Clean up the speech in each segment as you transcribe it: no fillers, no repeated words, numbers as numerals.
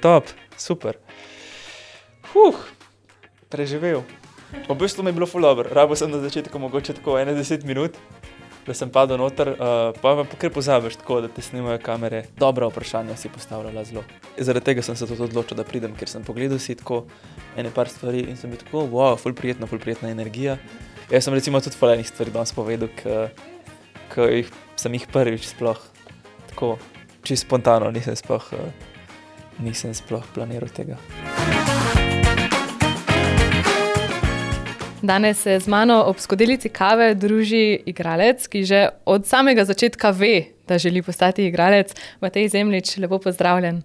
Top, super. Preživel. V bistvu mi je bilo ful dobro. Rabo sem na začetku mogoče tako 10 minut, da sem padel noter, pa kar pozabiš tako, da te snimajo kamere. Dobra vprašanja si postavljala zelo. Zaradi tega sem se tudi odločil, da pridem, ker sem pogledal si tako par stvari in sem bil tako, wow, ful prijetna energija. Jaz sem recimo tudi ful enih stvari danes povedal, ki sem jih prvič sploh tako čisto spontano, nisem sploh planiral tega. Danes se z mano ob skodelici kave druži igralec, ki že od samega začetka ve, da želi postati igralec. Matej Zemljič, lepo pozdravljen.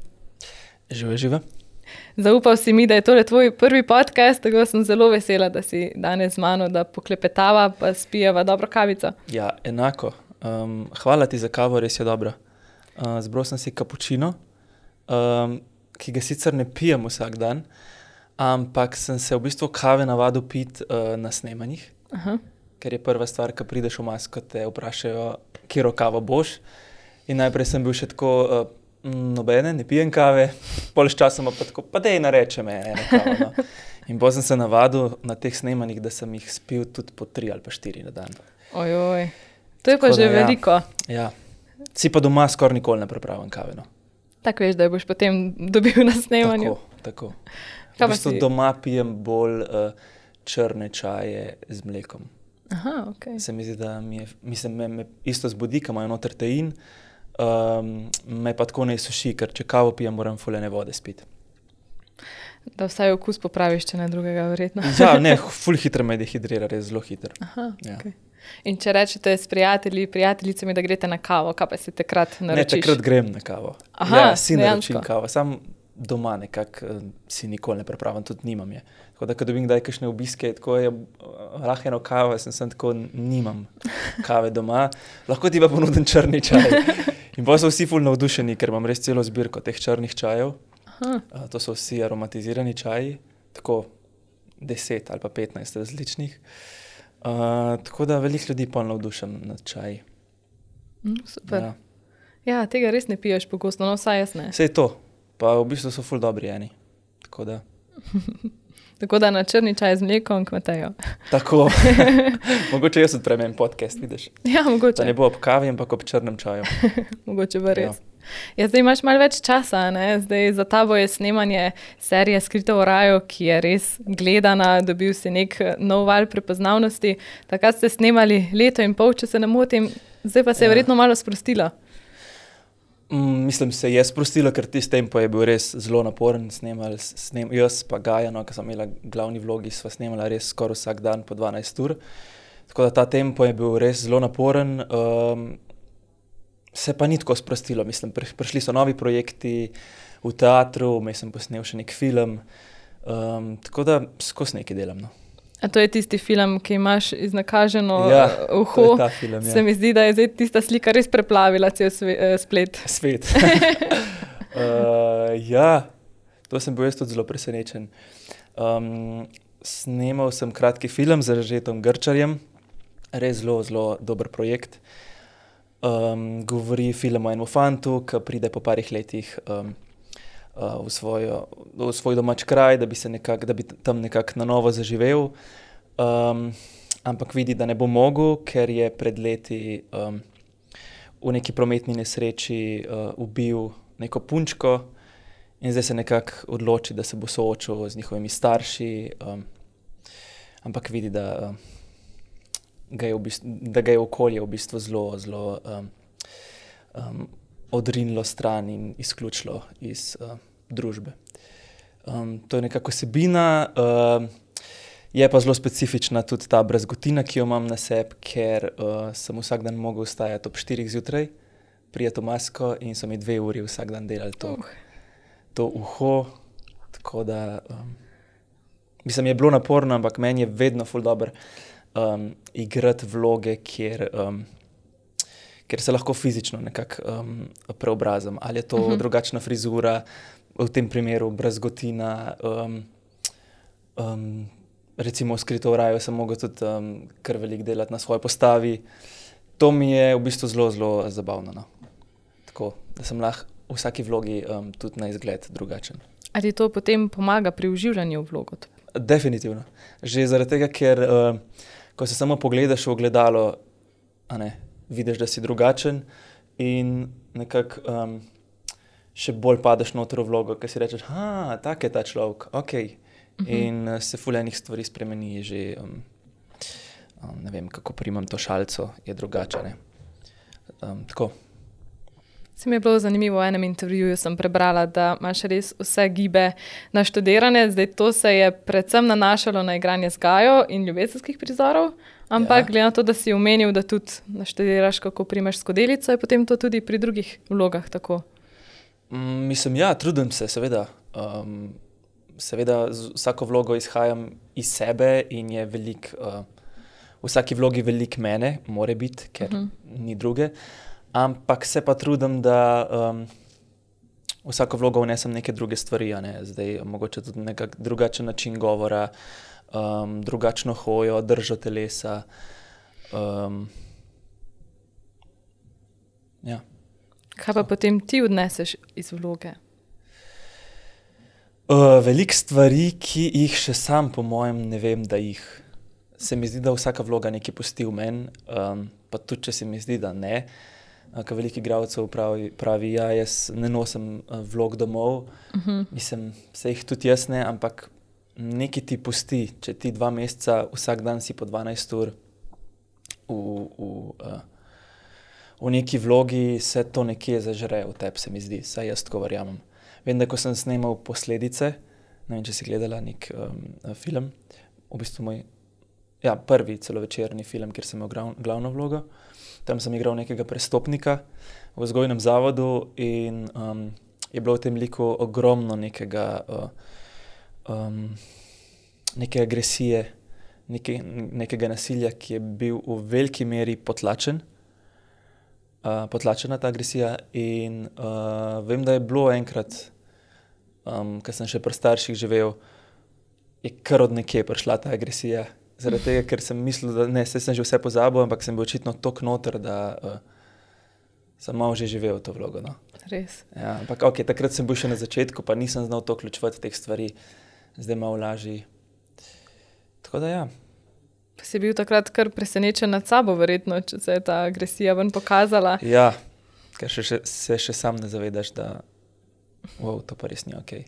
Žive. Zaupal si mi, da je tole tvoj prvi podcast, tako sem zelo vesela, da si danes z mano, da poklepetava pa spijeva dobro kavico. Ja, enako. Hvala ti za kavo, res je dobra. Zbral sem si kapučino, ki ga sicer ne pijem vsak dan, ampak sem se v bistvu kave navadil piti na snemanjih. Aha. Ker je prva stvar, ko prideš v masko, te vprašajo, katero kavo boš. In najprej sem bil še tako, nobene, ne pijem kave, pol s časom pa tako, pa dej nareče me eno kavo. No. In potem sem se navadil na teh snemanjih, da sem jih spil tudi po 3 ali pa 4 na dan. Ojoj, to je pa že veliko. Ja. Si pa doma skoraj nikoli ne pripravim kave. No. Tako veš, da jo boš potem dobil na snemanju. Tako. V bistvu doma pijem bolj črne čaje z mlekom. Aha, okej. Se mi zdi, da me isto zbudi, ko imajo noter tein, me pa tako ne suši, ker če kavo pijem, moram fulene vode spiti. Da vsaj okus popraviš, če ne drugega, verjetno. Ja, ne, ful hitro me dehidrira, res zelo hitro. Aha, Ja. okej. In če rečete s prijateljicami, da greste na kavo, kaj pa si takrat Ne, naročiš? takrat grem na kavo. Aha, Ja, si dejansko. naročim kavo, sam doma nekako si nikoli ne pripravim, tudi nimam je. Tako da, ko dobim kdaj kakšne obiske, tako je lahko eno kavo, sem tako, nimam kave doma, lahko ti pa ponudim črni čaj. In pa so vsi ful navdušeni, ker imam res celo zbirko teh črnih čajev. Aha. To so vsi aromatizirani čaji, tako 10 ali pa 15 različnih. Tako da veliko ljudi pa navdušam nad čaji. Super. Ja. Ja, tega res ne piješ pogosto, no vsaj jaz ne. Sej to, pa v bistvu so ful dobri eni. Tako da. Tako da na črni čaj z mlekom k Mateju. Tako. Mogoče jaz odprem en podcast, vidiš. Ja, mogoče. Da ne bo ob kavi, ampak ob črnem čaju. Mogoče pa res. Ja, zdaj imaš malo več časa, ne? Zdaj za tabo je snemanje serije Skrito v raju, ki je res gledana, dobil si nek nov val prepoznavnosti. Takrat ste snemali 1,5 leta, če se ne motim, zdaj pa se je verjetno malo sprostila. Mislim, se je sprostilo, ker tisti tempo je bil res zelo naporen. Jaz pa Gaja, no, ko sem imela glavni vlogi, sva snemala res skoraj vsak dan po 12 ur. Tako da ta tempo je bil res zelo naporen. Se pa ni tako sprostilo, mislim, prišli so novi projekti v teatru, sem posnel še nek film, tako da skozi nekaj delam. No. A to je tisti film, ki imaš iznakaženo uho? To je ta film, ja. Se mi zdi, da je zdaj tista slika res preplavila cel splet. Svet. Ja, to sem bil jaz tudi zelo presenečen. Snemal sem kratki film z Anžetom Grčarjem, res zelo, zelo dober projekt. Govori film o enem fantu, ki pride po parih letih v svoj domač kraj, da bi tam nekako na novo zaživel. Ampak vidi, da ne bo mogel, ker je pred leti v neki prometni nesreči ubil neko punčko in zdaj se nekako odloči, da se bo soočil z njihovimi starši, ampak vidi, da ga je okolje v bistvu zelo odrinilo stran in izključilo iz družbe. To je nekako vsebina, je pa zelo specifična tudi ta brazgotina, ki jo imam na sebi, ker sem vsak dan mogel vstajati ob 4 zjutraj, priti v masko in so mi 2 uri vsak dan delali to uho, tako da mislim, je bilo naporno, ampak meni je vedno ful dobro igrati vloge, kjer se lahko fizično nekako preobrazim. Ali je to drugačna frizura, v tem primeru brazgotina, recimo v Skrito v raju sem mogel tudi kar veliko delati na svoji postavi. To mi je v bistvu zelo, zelo zabavno. No. Tako, da sem lahko v vsaki vlogi tudi na izgled drugačen. Ali to potem pomaga pri vživljanju v vlogo? Definitivno. Že zaradi tega, ker ko se samo pogledaš v ogledalo, vidiš, da si drugačen in nekako še bolj padeš noter v vlogo, ker si rečeš, tak je ta človek, okej. In se ful enih stvari spremeni, že ne vem, kako primam to šalico, je drugače, ne. Tako. Se mi je bilo zanimivo, v enem intervjuju sem prebrala, da imaš res vse gibe naštudirane, zdaj to se je predvsem nanašalo na igranje z Gajo in ljubezenskih prizorov, ampak glede na to, da si omenil, da tudi naštudiraš, kako primaš skodelico, je potem to tudi pri drugih vlogah tako. Mislim, trudim se, seveda. Seveda z vsako vlogo izhajam iz sebe in je v vsaki vlogi veliko mene, more biti, ker ni druge. Ampak se pa trudim, da vsako vlogo vnesem neke druge stvari, Zdaj mogoče tudi nekak drugačen način govora, drugačno hojo, držo telesa. Kaj pa potem ti odneseš iz vloge? Veliko stvari, ki jih še sam po mojem ne vem, da jih. Se mi zdi, da vsaka vloga nekaj pusti v meni, pa tudi, če se mi zdi, da ne. Ker veliko igralcev pravi, jaz ne nosim vlog domov. Mislim, se jih tudi jaz ne, ampak nekaj ti pusti. Če ti 2 meseca, vsak dan si po 12 ur v neki vlogi, se to nekje zažre v tebi, se mi zdi. Saj jaz tako verjamem. Vem, da ko sem snemal Posledice, ne vem, če si gledala nek film, v bistvu moj prvi celovečerni film, kjer sem imel glavno vlogo. Tam sem igral nekega prestopnika v vzgojnem zavodu in je bilo v tem liku ogromno neke agresije, nekega nasilja, ki je bil v veliki meri potlačena ta agresija in vem, da je bilo enkrat, ko sem še pri starših živel, je kar od nekje prišla ta agresija. Zaradi tega, ker sem mislil, da saj sem že vse pozabil, ampak sem bil očitno toliko noter, da sem malo že živel to vlogo. No. Res. Ja, ampak takrat sem bil še na začetku, pa nisem znal to vključevati teh stvari. Zdaj malo lažji. Tako da Pa si bil takrat kar presenečen nad sabo, verjetno, če se je ta agresija ven pokazala. Ja, ker se še sam ne zavedaš, da to pa res ni okej.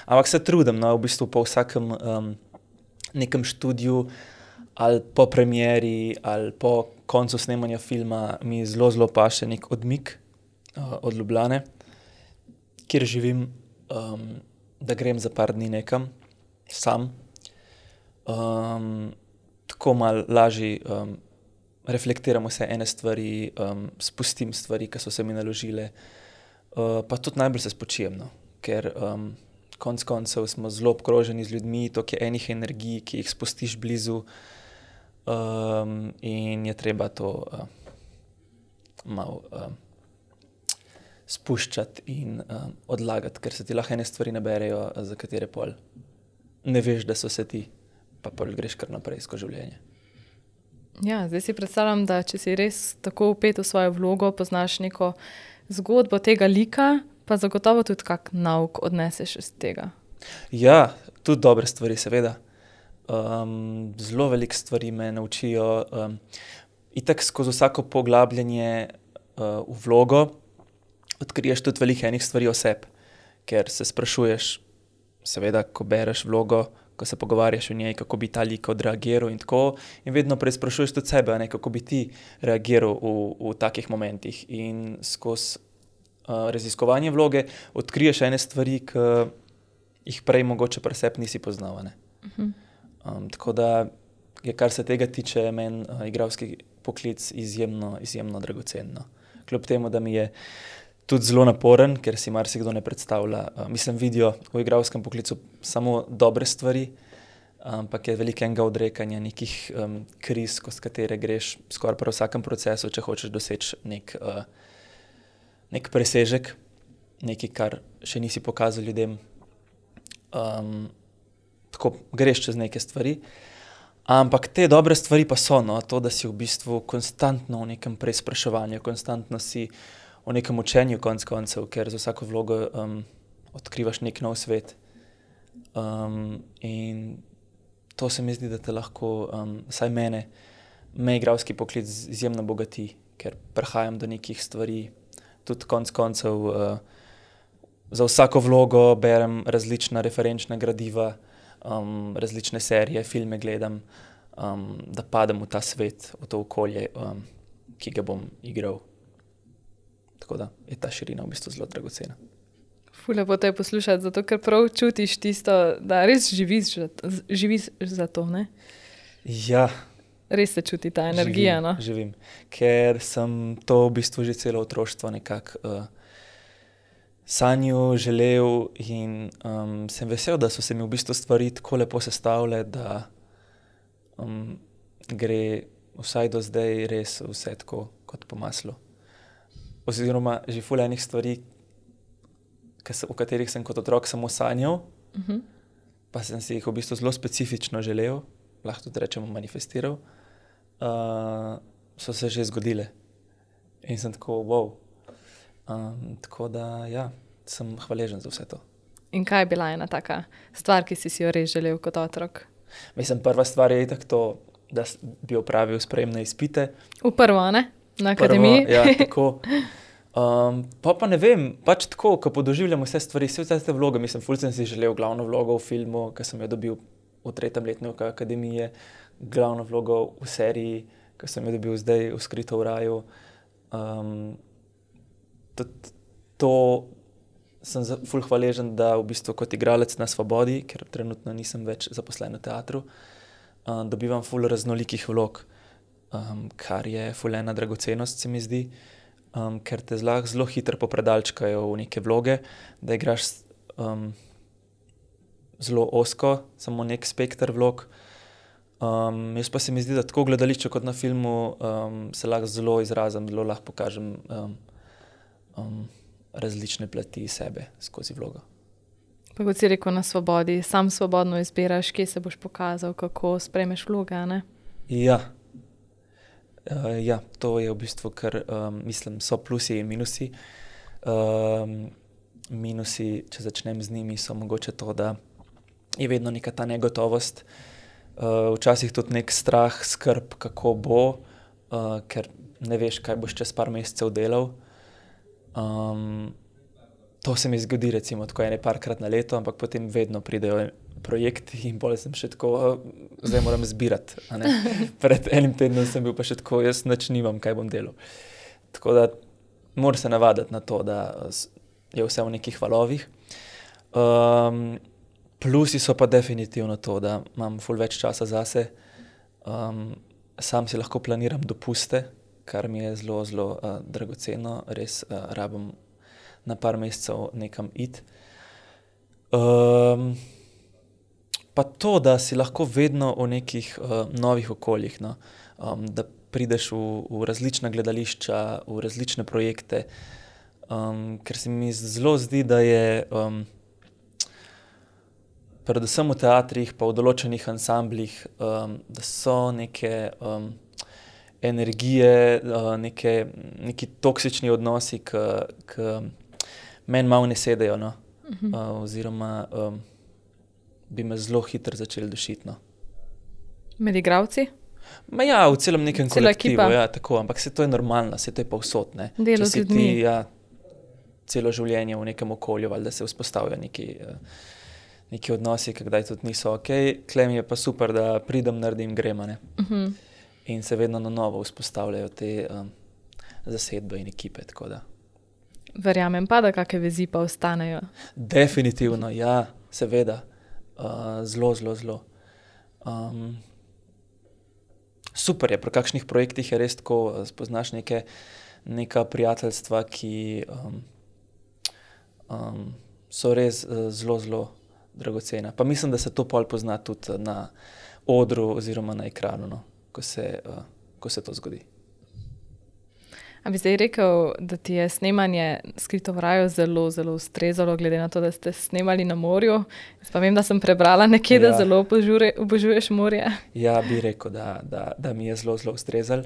Ampak se trudim, v bistvu po vsakem nekem študiju ali po premieri ali po koncu snemanja filma mi zelo paše nek odmik od Ljubljane, kjer živim, da grem za par dni nekam sam. Tako malo lažje reflektiram vse ene stvari, spustim stvari, ki so se mi naložile, pa tudi najbolj se spočijem, ker konec koncev smo zelo obkroženi z ljudmi, toliko je enih energij, ki jih spustiš blizu in je treba to malo spuščati in odlagati, ker se ti lahko ene stvari naberejo, za katere pol ne veš, da so se ti, pa pol greš kar naprej skozi življenje. Ja, zdaj si predstavljam, da če si res tako vpet v svojo vlogo, poznaš neko zgodbo tega lika, pa zagotovo tudi kak nauk odneseš iz tega. Ja, tudi dobre stvari, seveda. Zelo veliko stvari me naučijo. Itak skozi vsako poglabljanje v vlogo odkriješ tudi veliko enih stvari o sebi, ker se sprašuješ, seveda, ko bereš vlogo, ko se pogovarjaš o njej, kako bi ta lik odreagiral in tako, in vedno preizprašuješ tudi sebe, kako bi ti reagiral v takih momentih. In skozi raziskovanje vloge odkriješ ene stvari, ki jih prej mogoče pri sebi nisi poznal. Tako da je, kar se tega tiče, meni igralski poklic izjemno dragocen. Kljub temu, da mi je tudi zelo naporen, ker si marsikdo ne predstavlja. Vidijo v igralskem poklicu samo dobre stvari, ampak je veliko enega odrekanja, nekih kriz, skozi katere greš skoraj pri vsakem procesu, če hočeš doseči nek presežek, nekaj, kar še nisi pokazal ljudem. Tako greš čez neke stvari, Ampak te dobre stvari pa so, no, to, da si v bistvu konstantno v nekem preizpraševanju, konstantno si v nekem učenju konec koncev, ker za vsako vlogo odkrivaš nek nov svet. In to se mi zdi, da te lahko, vsaj mene, igralski poklic izjemno bogati, ker prehajam do nekih stvari. Tudi konec koncev za vsako vlogo berem različna referenčna gradiva, različne serije, filme gledam, da padem v ta svet, v to okolje, ki ga bom igral. Tako da je ta širina v bistvu zelo dragocena. Ful lepo te je poslušati, zato ker prav čutiš tisto, da res živiš za to, ne? Ja. Res se čuti ta energija, no? Živim, ker sem to v bistvu že celo otroštvo nekako sanjal, želel in sem vesel, da so se mi v bistvu stvari tako lepo sestavile, da gre vsaj do zdaj res vse tako kot po maslu. Oziroma že ful enih stvari, o katerih sem kot otrok samo sanjal, pa sem si jih v bistvu zelo specifično želel, lahko tudi rečemo manifestiral, so se že zgodile. In sem tako, wow. Tako da, ja, sem hvaležen za vse to. In kaj je bila ena taka stvar, ki si jo res želel kot otrok? Mislim, prva stvar je itak to, da bi opravil sprejemne izpite. V prvo, ne? Na akademiji? Ja, tako. Pa ne vem, pač tako, ko podoživljam vse stvari, vse te vloge, mislim, ful sem si želel glavno vlogo v filmu, ki sem jo dobil v 3. letniku akademije, glavno vlogo v seriji, ki sem jo dobil zdaj v Skrito v raju. To sem ful hvaležen, da v bistvu kot igralec na svobodi, ker trenutno nisem več zaposlen v teatru, dobivam ful raznolikih vlog, kar je ful ena dragocenost, se mi zdi, ker te zelo hitro popredalčkajo v neke vloge, da igraš zelo ozko, samo nek spekter vlog. Jaz pa se mi zdi, da tako v gledališču kot na filmu se lahko zelo izrazim, zelo lahko pokažem različne plati sebe skozi vlogo. Pa kot si rekel, na svobodi, sam svobodno izbiraš, kje se boš pokazal, kako sprejmeš vloge, ne? Ja. Ja, to je v bistvu, ker mislim, so plusi in minusi. Minusi, če začnem z njimi, so mogoče to, da je vedno neka ta negotovost, včasih tudi nek strah, skrb, kako bo, ker ne veš, kaj boš čez par mesecev delal. To se mi zgodi recimo tako parkrat na leto, ampak potem vedno pridejo projekti in bolj sem še tako, zdaj moram zbirati. Pred enim tednom sem bil pa še tako, jaz nič nimam, kaj bom delal. Tako da moram se navaditi na to, da je vse v nekih valovih. Plusi so pa definitivno to, da imam ful več časa zase. Sam si lahko planiram dopuste, kar mi je zelo, zelo dragoceno. Res rabim na par mesecev nekam iti. Pa to, da si lahko vedno v nekih novih okoljih, no? Da prideš v različna gledališča, v različne projekte, ker se mi zelo zdi, da je predvsem v teatrih pa v določenih ansamblih, da so neke energije, neki toksični odnosi, ki meni malo ne sedejo, no. Oziroma bi me zelo hitro začeli dušiti, no. Med igravci? Ja, v celem nekem kolektivu, ekipa. ja, tako, ampak se to je normalno, se to je povsod, ne. Delo z ljudmi. Če si ti, ja, celo življenje v nekem okolju, valjda se vzpostavijo neki odnosi, ki kdaj tudi niso okej. Tule mi je pa super, da pridem, naredim, grem, a ne. In se vedno na novo vzpostavljajo te zasedbe in ekipe, tako da. Verjamem pa, da kakšne vezi pa ostanejo. Definitivno, ja, seveda. Zelo, zelo, zelo. Super je, pri kakšnih projektih je res tako, spoznaš neka prijateljstva, ki so res zelo, zelo dragocena. Pa mislim, da se to pol pozna tudi na odru oziroma na ekranu, no, ko se to zgodi. A bi zdaj rekel, da ti je snemanje Skrito v raju zelo, zelo ustrezalo, glede na to, da ste snemali na morju? Jaz pa vem, da sem prebrala nekje, da zelo obožuješ morje. Ja, bi rekel, da mi je zelo, zelo ustrezalo.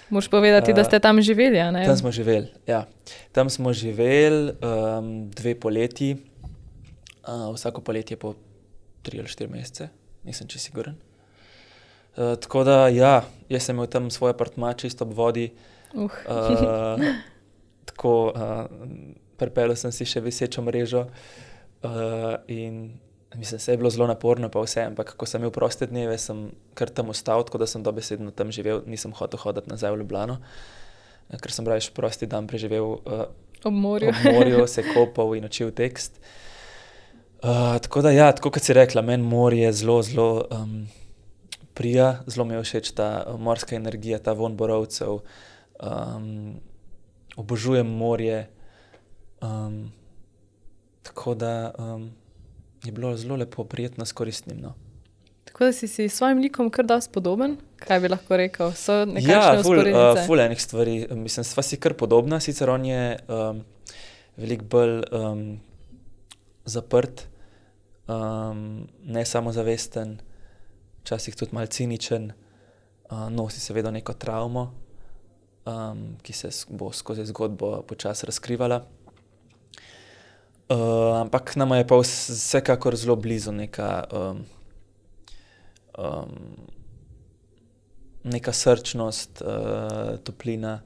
Moraš povedati, da ste tam živeli, a ne? Tam smo živeli, ja. Tam smo živeli 2 poletji. Vsako poletje po 3 ali 4 mesece, nisem čisto siguren. Tako da, ja, jaz sem imel tam svoj apartma čisto ob vodi. Tako, pripeljal sem si še visečo mrežo in mislim, se je bilo zelo naporno pa vse, ampak ko sem imel proste dneve, sem kar tam ostal, tako da sem dobesedno tam živel, nisem hotel hoditi nazaj v Ljubljano, ker sem raje prosti dan preživel ob morju, se kopal in učil tekst. Tako da, ja, tako kot si rekla, meni morje zelo, zelo prija, zelo mi je všeč ta morska energija, ta vonj borovcev. Obožujem morje, tako da je bilo zelo lepo, prijetno s koristnim. No. Tako da si s svojim likom kar dosti podoben, kaj bi lahko rekel? So nekakšne vzporednice? Ja, ful enih stvari. Mislim, sva si kar podobna, sicer on je veliko bolj zaprt, ne samozavesten, včasih tudi malo ciničen, nosi seveda neko travmo, ki se bo skozi zgodbo počasi razkrivala. Ampak nama je pa vsekakor zelo blizu neka srčnost, toplina,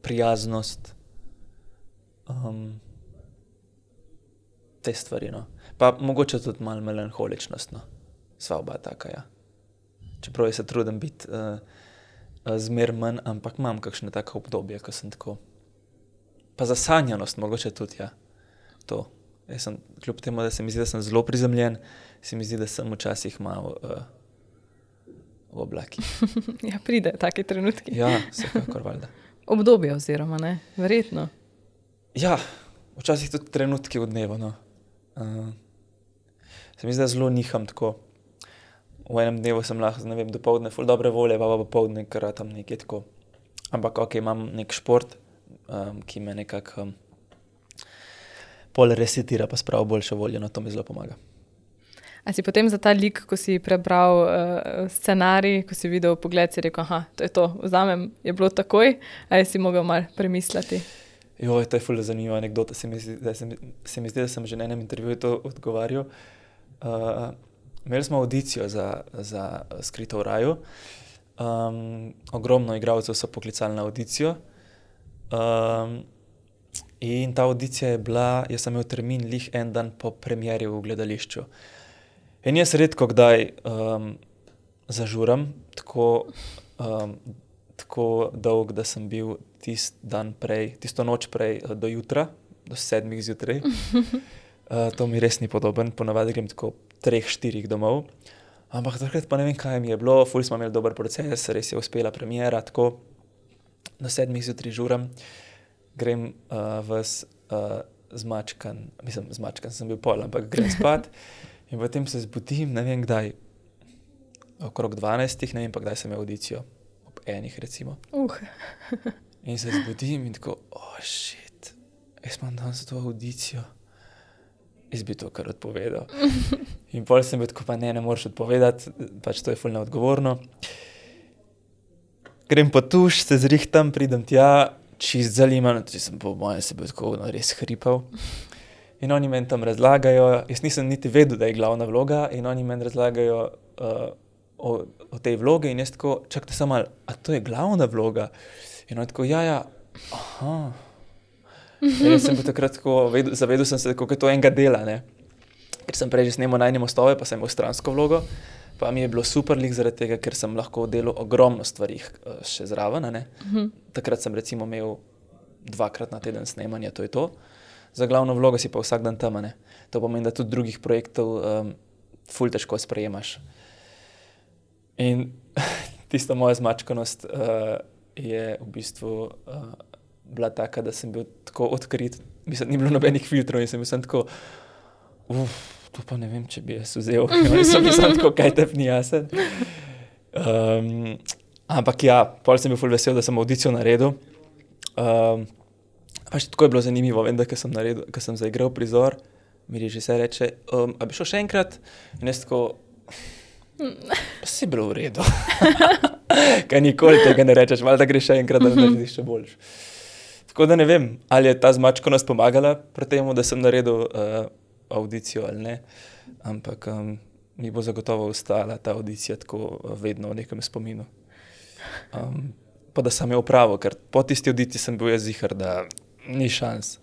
prijaznost, te stvari, no. Pa mogoče tudi malo melanholičnost, no. Sva oba taka, ja. Čeprav jaz se trudim biti zmer manj, ampak imam kakšne take obdobje, ko sem tako. Pa zasanjanost mogoče tudi, ja. To. Jaz sem, kljub temu, da se mi zdi, da sem zelo prizemljen, se mi zdi, da sem včasih malo v oblakih. Ja, pride taki trenutki. Ja, vsekakor valjda. Obdobje oziroma, ne? Verjetno. Ja, včasih tudi trenutki v dnevu, no. Se mi zdi, da zelo niham tako. V enem dnevu sem lahko, ne vem, dopoldne ful dobre volje, pa popoldne kar tam nekje tako. Ampak ok, imam nek šport, ki me nekako pol resetira, pa spravi boljšo voljo, no to mi zelo pomaga. A si potem za ta lik, ko si prebral scenarij, ko si videl pogled, si rekel, aha, to je to, vzamem, je bilo takoj, ali si mogel malo premisliti? Joj, to je ful zanimiva anekdota, se mi zdi, da sem že na enem intervjuju to odgovarjal. Imeli smo audicijo za Skrito v raju. Ogromno igralcev so poklicali na audicijo. In ta audicija je bila, jaz sem imel termin lih en dan po premieri v gledališču. In jaz redko kdaj zažuram, tako dolg, da sem bil tisto noč prej do jutra, do 7 zjutraj. To mi res ni podoben, ponavadi grem tako 3-4 domov. Ampak takrat pa ne vem, kaj mi je bilo, ful smo imeli dober proces, res je uspela premiera, tako do 7 zjutraj žuram, grem zmačkan, sem bil pol, ampak grem spat in potem se zbudim, ne vem kdaj, okrog 12, ne vem pa kdaj sem imel audicijo, ob 1 recimo. In se zbudim in tako, shit, jaz imam danes to audicijo. Jaz bi to kar odpovedal. In pol sem bil tako, pa ne moreš odpovedati, pač to je ful neodgovorno. Grem po tuš, se zrihtam, pridem tja, čist zaliman, tudi sem po mojem se bil tako res hripal. In oni meni tam razlagajo, jaz nisem niti vedel, da je glavna vloga, in oni meni razlagajo o tej vlogi in jaz tako, čakajte samo malo, a to je glavna vloga? In oni tako, ja, aha. In jaz sem bil takrat tako, zavedel sem se, kako je to enega dela, ne. Ker sem prej že snemal Najine mostove, pa sem imel stransko vlogo, pa mi je bilo super lih zaradi tega, ker sem lahko delal ogromno stvari še zraven, ne. Takrat sem recimo imel 2-krat na teden snemanja, to je to. Za glavno vlogo si pa vsak dan tam, ne. To pomeni, da tudi drugih projektov ful težko sprejemaš. In tista moja zmačkanost je v bistvu bila taka, da sem bil tako odkrit, mislim, ni bilo nobenih filtrov in sem bil tako, to pa ne vem, če bi jaz vzel. Oni so bili tako, kaj tep ni jasen. Ampak ja, pol sem bil ful vesel, da sem audicijo naredil. Pač tako je bilo zanimivo, vem, da ko sem zaigral prizor, mi režiser reče, a bi šel še enkrat? In jaz tako, pa si bilo v redu. Kaj nikoli tega ne rečeš, malo da greš še enkrat, da narediš še boljš. Tako da ne vem, ali je ta zmačkanost pomagala pri tem, da sem naredil audicijo ali ne, ampak mi bo zagotovo ostala ta audicija tako vedno v nekem spominu. Pa da sem jo opravil, ker po tisti audiciji sem bil jaz ziher, da ni šans,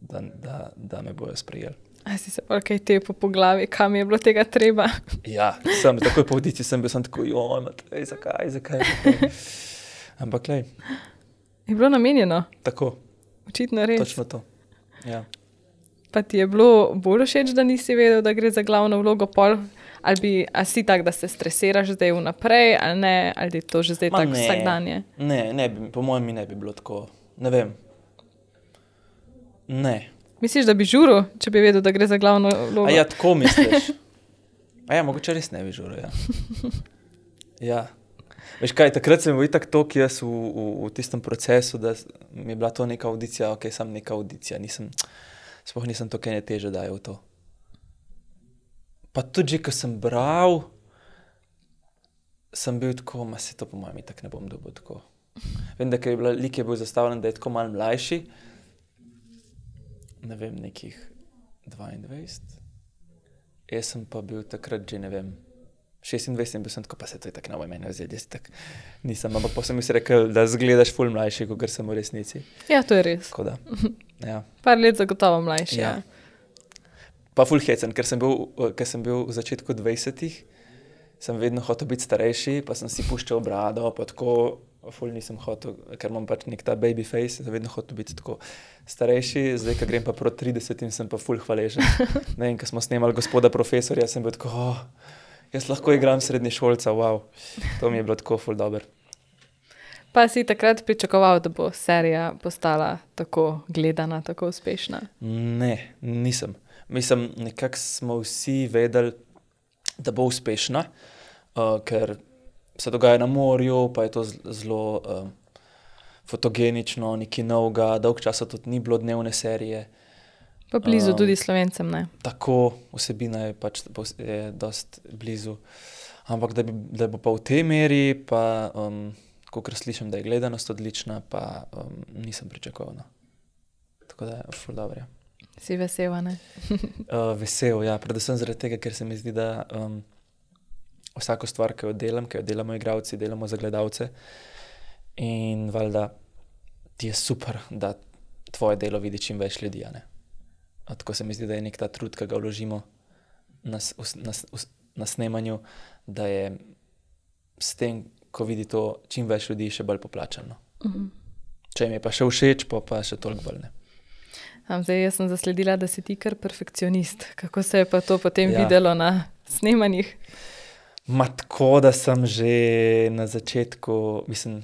da me bojo sprejeli. A si se pa kaj tepo po glavi, kam je bilo tega treba? Ja, takoj po audiciji sem bil tako, Matej, zakaj? Ampak lej. Je bilo namenjeno? Tako. Očitno res. Točno to, ja. Pa ti je bilo bolj všeč, da nisi vedel, da gre za glavno vlogo pol? Ali si tak, da se stresiraš zdaj vnaprej, ali ne? Ali je to že zdaj tako vsakdanje? Ne, po mojem mi ne bi bilo tako. Ne vem. Ne. Misliš, da bi žuril, če bi vedel, da gre za glavno vlogo? A ja, tako misliš? A ja, mogoče res ne bi žuril, ja. Ja. Veš kaj, takrat sem bil itak toliko jaz v tistem procesu, da mi je bila to neka audicija, sam neka audicija, sploh nisem to kaj teže dajal v to. Pa tudi že, ko sem bral, sem bil tako, se to po mojem itak ne bom dobil tako. Vem, da lik je bil zastavljen, da je tako malo mlajši, ne vem, nekih 22. Jaz sem pa bil takrat že, ne vem, 26 in bil sem tako, pa se to je tako na moj meni vzeli, jaz tak nisem, ampak pa sem mi se rekel, da zgledaš ful mlajši, kot sem v resnici. Ja, to je res. Tako da, ja. Par let zagotovo mlajši, ja. Pa ful hecen, ker sem bil v začetku 20-ih, sem vedno hotel biti starejši, pa sem si puščal brado, pa tako ful nisem hotel, ker imam pač nek ta baby face, sem vedno hotel biti tako starejši, zdaj, ko grem pa proti 30-im, sem pa ful hvaležen. Ne vem, ko smo snemali Gospoda profesorja, sem bil tako, jaz lahko igram srednješolca, wow. To mi je bilo tako ful dober. Pa si takrat pričakoval, da bo serija postala tako gledana, tako uspešna? Ne, nisem. Mislim, nekako smo vsi vedeli, da bo uspešna, ker se dogaja na morju, pa je to zelo fotogenično, nekaj novega, dolg časa tudi ni bilo dnevne serije. Pa blizu tudi Slovencem, ne? Tako, vsebina je pač dost blizu. Ampak da bo pa v tej meri, pa kakor slišim, da je gledanost odlična, pa nisem pričakoval. Tako da je ful dobro, ja. Si vesel, ne? Vesel, ja. Predvsem zaradi tega, ker se mi zdi, da vsako stvar, ki jo delamo igralci, delamo za gledalce. In valjda ti je super, da tvoje delo vidi čim več ljudi, ne? Tako se mi zdi, da je nek ta trud, ki ga vložimo na snemanju, da je s tem, ko vidi to čim več ljudi, še bolj poplačano. Če mi je pa še všeč, pa še toliko bolj ne. Zdaj, jaz sem zasledila, da si ti kar perfekcionist. Kako se je pa to potem videlo na snemanjih? Tako, da sem že na začetku, mislim,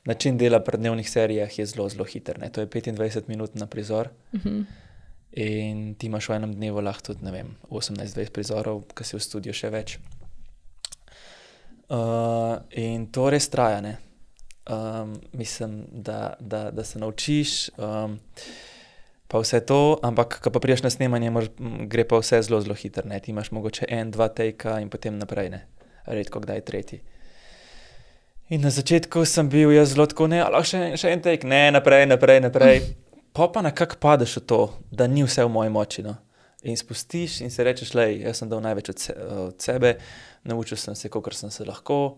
način dela pri dnevnih serijah je zelo, zelo hiter, ne. To je 25 minut na prizor. In ti imaš v enem dnevu lahko tudi, ne vem, 18-20 prizorov, ki si v studiu še več. In to res traja, ne. Mislim, da se naučiš, pa vse to, ampak ko pa priješ na snemanje, gre pa vse zelo, zelo hiter, ne. Ti imaš mogoče 1-2 tejka in potem naprej, ne. Redko kdaj tretji. In na začetku sem bil jaz zelo tako, ne, lahko še en tejk, ne, naprej. Pa nekako padeš v to, da ni vse v moji moči, no. In spustiš in se rečeš, lej, jaz sem dal največ od sebe, naučil sem se, kolikor sem se lahko,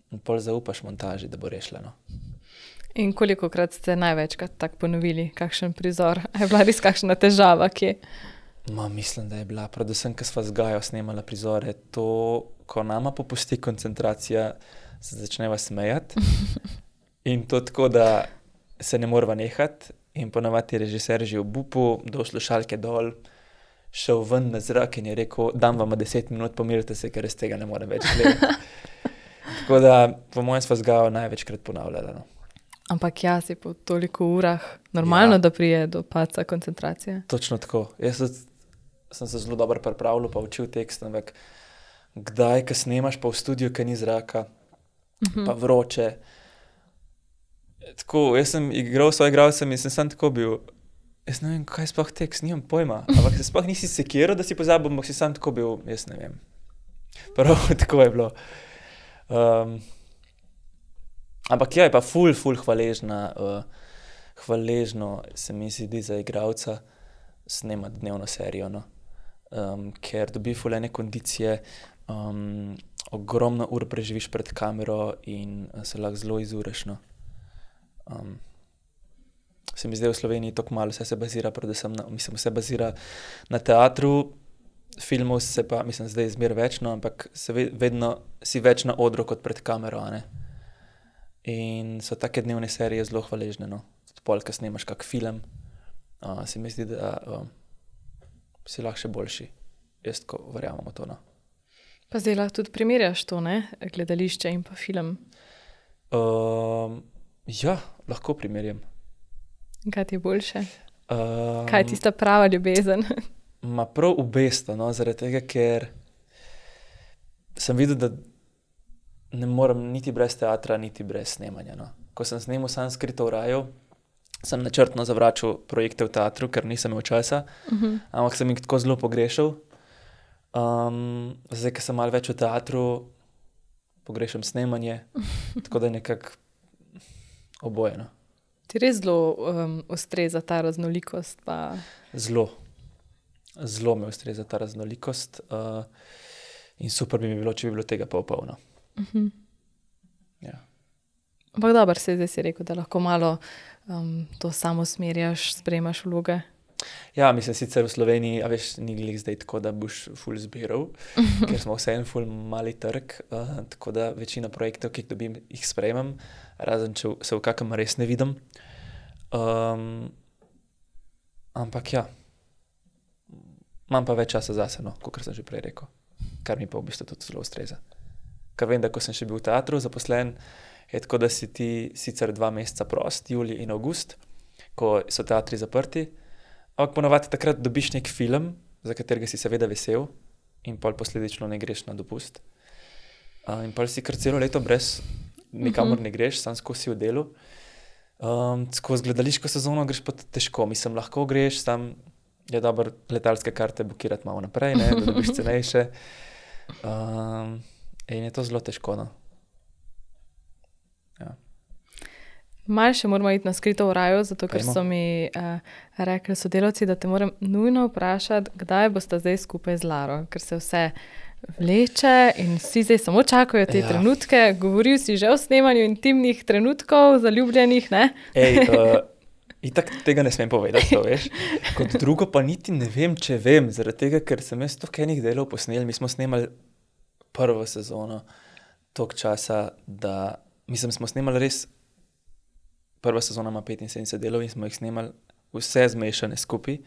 in pol zaupaš montaži, da bo rešila, no. In kolikokrat ste največkrat tako ponovili, kakšen prizor? A je bila res kakšna težava, kje? Mislim, da je bila, predvsem, ko sva z Gajo snemala prizore, to, ko nama popusti koncentracija, se začneva smejati. In to tako, da se ne morava nehati. In ponavadi je režiser že v bupu, dal slušalke dol, šel ven na zrak in je rekel, dam vam 10 minut, pomirite se, ker res tega ne morem več gledati. Tako da, po mojem sva z Gajo največkrat ponavljala, no. Ampak ja, si po toliko urah normalno, da prije do padca koncentracije. Točno tako. Jaz sem se zelo dobro pripravljal, pa učil tekst, ampak kdaj, ko snemaš pa v studiu, ko ni zraka, pa vroče. Tako, jaz sem igral s svojim igralcem in sem sam tako bil, jaz ne vem, kaj je sploh tekst, nimam pojma, ampak se sploh nisi sekiral, da si pozabil, ampak si sam tako bil, jaz ne vem. Prav, tako je bilo. Ampak ja, je pa ful hvaležno se mi zdi za igralca snemati dnevno serijo, no. Ker dobi ful ene kondicije, ogromno ur preživiš pred kamero in se lahko zelo izureš, no. Se mi zdaj v Sloveniji tako malo, vse se bazira predvsem vse bazira na teatru, filmov se pa, zdaj zmer več, no, ampak vedno si več na odru kot pred kamero, a ne. In so take dnevne serije zelo hvaležne, no. Tudi pol, ko snemaš kak film, se mi zdi, da si lahko še boljši. Jaz tako verjamem v to, no. Pa zdaj lahko tudi primerjaš to, ne? Gledališče in pa film. Ja, lahko primerjam. Kaj ti je boljše? Kaj je tista prava ljubezen? Ma prav obesto, no, zaradi tega, ker sem videl, da ne morem niti brez teatra, niti brez snemanja, no. Ko sem snemal sam Skrito v raju, sem načrtno zavračal projekte v teatru, ker nisem imel časa, ampak sem jih tako zelo pogrešal. Zdaj, ko sem malo več v teatru, pogrešam snemanje, tako da nekako oboje, no. Ti res zelo ustreza ta raznolikost pa... Zelo me ustreza ta raznolikost in super bi mi bilo, če bi bilo tega pa polno. Ja. Ampak dobro, zdaj si rekel, da lahko malo to samo smerjaš, sprejemaš vloge. Ja, sicer v Sloveniji, a veš, ni glih zdaj tako, da boš ful zbiral, ker smo vseeno ful mali trg, tako da večina projektov, ki jih dobim, jih sprejemam, razen če se v kakem res ne vidim. Ampak ja, imam pa več časa zase, no, kot sem že prej rekel, kar mi pa v bistvu tudi zelo ustreza. Ker vem, da ko sem še bil v teatru zaposlen, je tako, da si ti sicer 2 meseca prost, julij in avgust, ko so teatri zaprti, ampak ponavadi takrat dobiš nek film, za katerega si seveda vesel in pol posledično ne greš na dopust. In pol si kar celo leto brez, nikamor ne greš, sam skozi v delu. Skozi gledališko sezono greš pa težko, lahko greš, sam je dobro letalske karte bukirati malo naprej, ne, da dobiš cenejše. In je to zelo težko, no. Ja. Malo še moramo iti na Skrito v raju, zato ker so mi rekli sodelavci, da te moram nujno vprašati, kdaj boste zdaj skupaj z Laro, ker se vse vleče in vsi zdaj samo čakajo te trenutke. Govoril si že o snemanju intimnih trenutkov, zaljubljenih, ne? Itak tega ne smem povedati, to veš. Kot drugo pa niti ne vem, če vem, zaradi tega, ker sem jaz toliko enih delov posnel. Mi smo snemali prvo sezono toliko časa, da smo snemali res, prva sezona ima 75 delov in smo jih snemali vse zmešane skupaj.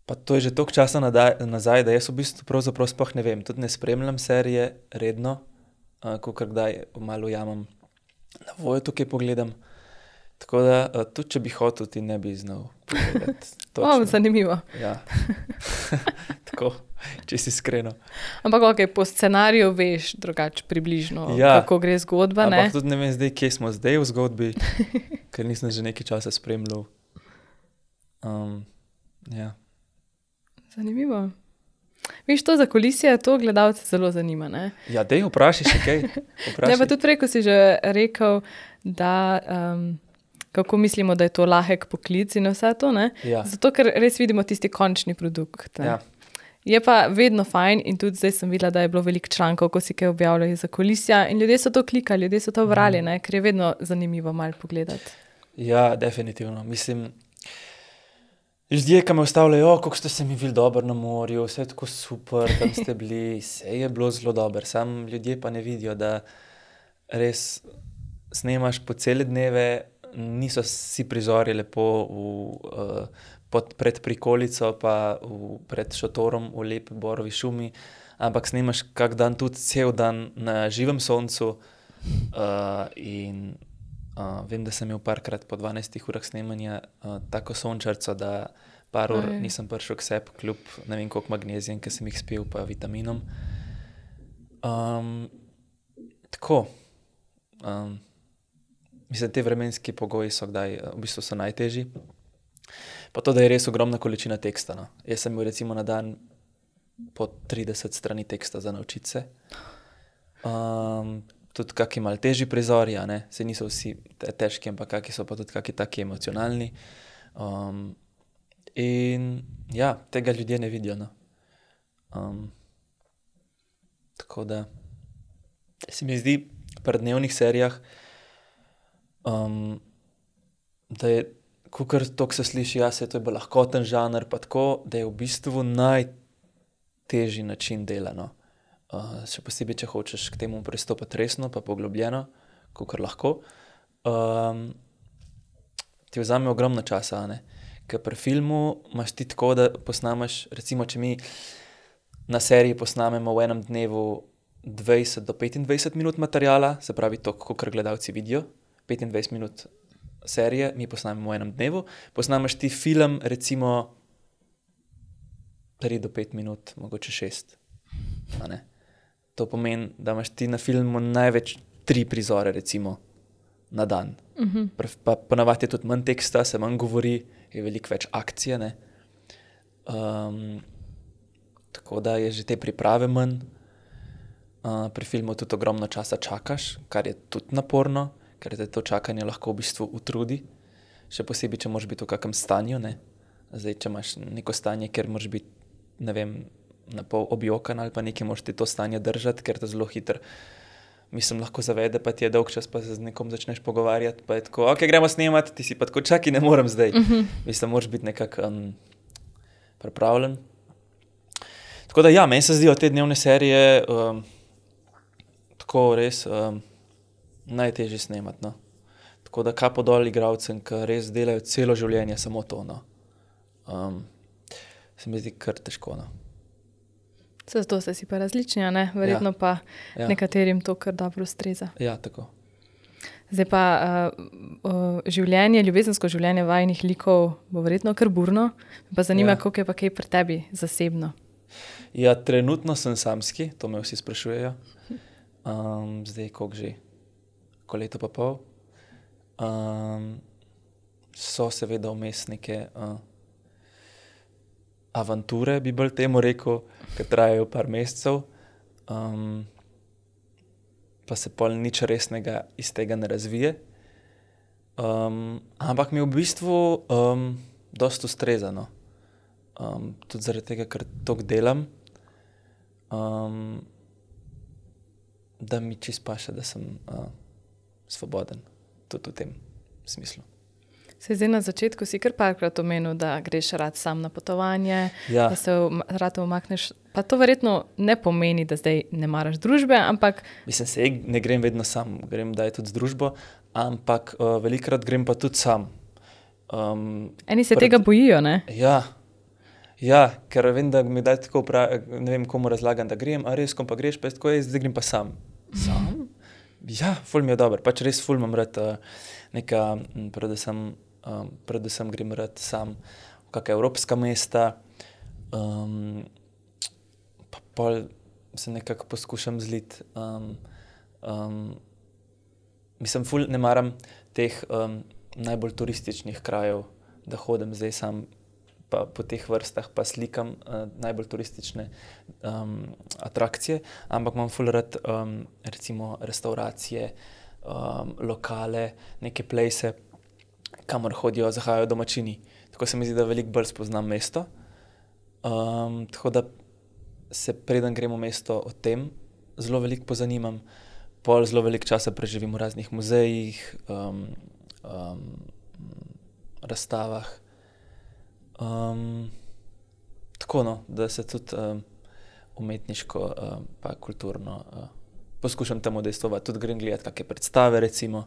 Pa to je že toliko časa nazaj, da jaz v bistvu pravzaprav sploh ne vem. Tudi ne spremljam serije redno, kakor kdaj malo ujamem na Voyo tukaj pogledam. Tako da tudi, če bi hotel, ti ne bi znal pogledati. Zanimivo. Ja. Tako, če si iskreno. Ampak okej, po scenariju veš drugače približno, kako gre zgodba, ne? Ampak tudi ne vem zdaj, kje smo zdaj v zgodbi, ker nisem že nekaj časa spremljal. Ja. Zanimivo. Viš, to zakulisje, to gledalce zelo zanima, ne? Ja, dej, vprašaj še kaj. Ne, pa tudi prej, ko si že rekel, da kako mislimo, da je to lahek poklic in vse to, ne? Ja. Zato, ker res vidimo tisti končni produkt. Ja. Je pa vedno fajn in tudi zdaj sem videla, da je bilo veliko člankov, ko si kaj objavljali za kulisja in ljudje so to klikali, ljudje so to brali, ne? Ker je vedno zanimivo malo pogledati. Ja, definitivno. Ljudje, ki me ustavljajo, kako ste se mi videli dobro na morju, vse je tako super, tam ste bili, vse je bilo zelo dobro. Sam ljudje pa ne vidijo, da res snemaš po cele dneve, niso vsi prizori lepo pred prikolico pa pred šotorom v lepi borovi šumi, ampak snemaš kak dan tudi cel dan na živem soncu in vem, da sem imel parkrat po 12 urah snemanja tako sončarco, da par ur nisem prišel k sebi, kljub ne vem koliko magnezijem, ki sem jih spil, pa vitaminom. Tako, Mislim, te vremenski pogoji so v bistvu so najtežji. Pa to, da je res ogromna količina teksta. No. Jaz sem imel recimo na dan po 30 strani teksta za naučiti se. Tudi kakšni malo težji prizori, se niso vsi težki, ampak kakšni so pa tudi kakšni taki emocionalni. In ja, tega ljudje ne vidijo. No. Tako da se mi zdi pri dnevnih serijah, da je, kakor to se sliši, to je bolj lahkoten žanr, pa tako, da je v bistvu najtežji način dela. No. Še posebej, če hočeš k temu pristopiti resno, pa poglobljeno, kakor lahko, ti vzame ogromno časa, Ker pri filmu imaš ti tako, da posnameš, recimo, če mi na seriji posnamemo v enem dnevu 20 do 25 minut materiala, se pravi to, kakor gledalci vidijo, 25 minut serije, mi posnamemo v enem dnevu, posnameš ti film, recimo 3 do 5 minut, mogoče 6. To pomeni, da imaš ti na filmu največ 3 prizore, recimo, na dan. Pa ponavadi je tudi manj teksta, se manj govori, je veliko več akcije, tako da je že te priprave manj. Pri filmu tudi ogromno časa čakaš, kar je tudi naporno, ker te to čakanje lahko v bistvu utrudi. Še posebej, če moraš biti v kakem stanju, Zdaj, če imaš neko stanje, kjer moraš biti, ne vem, na pol objokan ali pa nekaj, moraš ti to stanje držati, ker te zelo hitro, lahko zavede, pa ti je dolg čas, pa se z nekom začneš pogovarjati, pa je tako, ok, gremo snemati, ti si pa tako, čakaj, ne morem zdaj. Moraš biti nekako pripravljen. Tako da ja, meni se zdijo te dnevne serije tako res najtežje snemati, no. Tako da kapo dol igralcem, ki res delajo celo življenje samo to, no. Se mi zdi kar težko, no. Zato ste si pa različni, verjetno pa nekaterim to kar dobro ustreza. Ja, tako. Zdaj pa življenje, ljubezensko življenje vajinih likov bo verjetno kar burno. Me pa zanima, koliko je pa kaj pri tebi zasebno. Ja, trenutno sem samski, to me vsi sprašujejo. Zdaj, koliko že? Ko leto pa pol. So seveda vmes neke avanture, bi bolj temu rekel, ki trajajo par mesecev. Pa se pol nič resnega iz tega ne razvije. Ampak mi v bistvu dosti ustreza, no. Tudi zaradi tega, ker toliko delam, da mi čisto paše, da sem svoboden. Tudi v tem smislu. Se zdaj na začetku si kar parkrat omenil, da greš rad sam na potovanje, da se rad umakneš. Pa to verjetno ne pomeni, da zdaj ne maraš družbe, ampak... Ne grem vedno sam, grem daj tudi z družbo, ampak velikokrat grem pa tudi sam. Eni se tega bojijo, ne? Ja, ker vem, da mi daj tako ne vem, komu razlagam, da grem, a res, kom pa greš, pa tako zdaj grem pa sam. Sam? Ja, ful mi je dober, pač res ful imam rad neka, predvsem grem rad sam v kakšna evropska mesta, pa pol se nekako poskušam zliti. Ful ne maram teh najbolj turističnih krajev, da hodim zdaj sam pa po teh vrstah pa slikam najbolj turistične atrakcije, ampak imam ful rad recimo restauracije, lokale, neke place, kamor hodijo, zahajajo domačini. Tako se mi zdi, da veliko bolj spoznam mesto. Tako da se preden grem v mesto o tem zelo veliko pozanimam, pol zelo veliko časa preživim v raznih muzejih, razstavah. Tako no, da se tudi umetniško pa kulturno poskušam tam udejstvovati. Tudi grem gledati kakšne predstave recimo.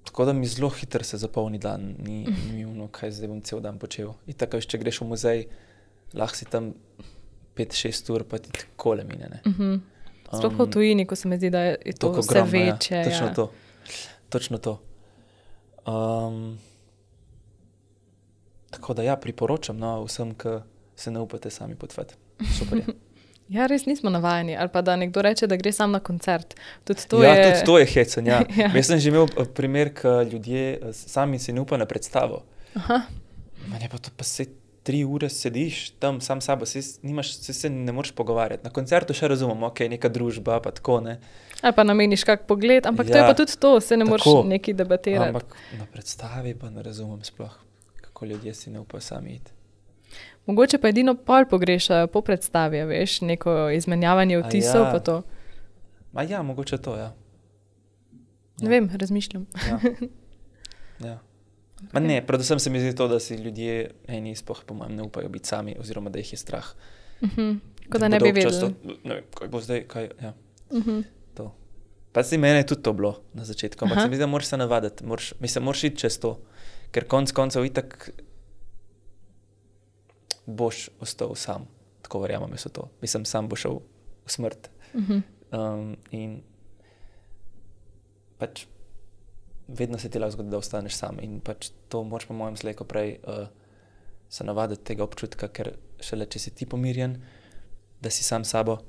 Tako da mi zelo hitro se zapolni dan, ni ono, kaj zdaj bom cel dan počel. Itak, če greš v muzej, lahko si tam 5-6 ur, pa ti takole mine, ne. Sploh v tujini, ko se mi zdi, da je to vse večje. Ja, točno to. Tako da ja, priporočam vsem, ki se ne upate sami potovati. Super je. Ja, res nismo navajeni. Ali pa da nekdo reče, da gre sam na koncert. Tudi to je hecen, ja. Ja. Jaz sem že imel primer, ko ljudje sami si ne upajo na predstavo. Aha. Je pa to pa 3 ure sediš tam sam sabo, se ne moreš pogovarjati. Na koncertu še razumem, ok, neka družba, pa tako, ne. Ali pa nameniš kak pogled, ampak to je pa tudi to, se ne moreš nekaj debatirati. Ampak na predstavi pa ne razumem sploh, kako ljudje si ne upajo sami iti. Mogoče pa edino pol pogrešajo po predstavi, veš, neko izmenjavanje vtisov pa to. Ja, mogoče to, ja. Ne vem, razmišljam. Ja. Ne, predvsem se mi zdi to, da si ljudje eni sploh po mojem ne upajo biti sami, oziroma da jih je strah. Kot da ne bi vedeli. Ne vem, kaj bo zdaj, kaj, ja. To. Pa si mene je tudi to bilo na začetku, ampak se mi zdi, da moraš se navaditi, moraš iti čez to, ker koncev itak boš ostal sam, tako verjamem, je to. Sam bo šel v smrt. In pač vedno se ti lahko zgodi, da ostaneš sam in pač to moraš po mojem slej, ko prej se navaditi tega občutka, ker šele, če si ti pomirjen, da si sam sabo,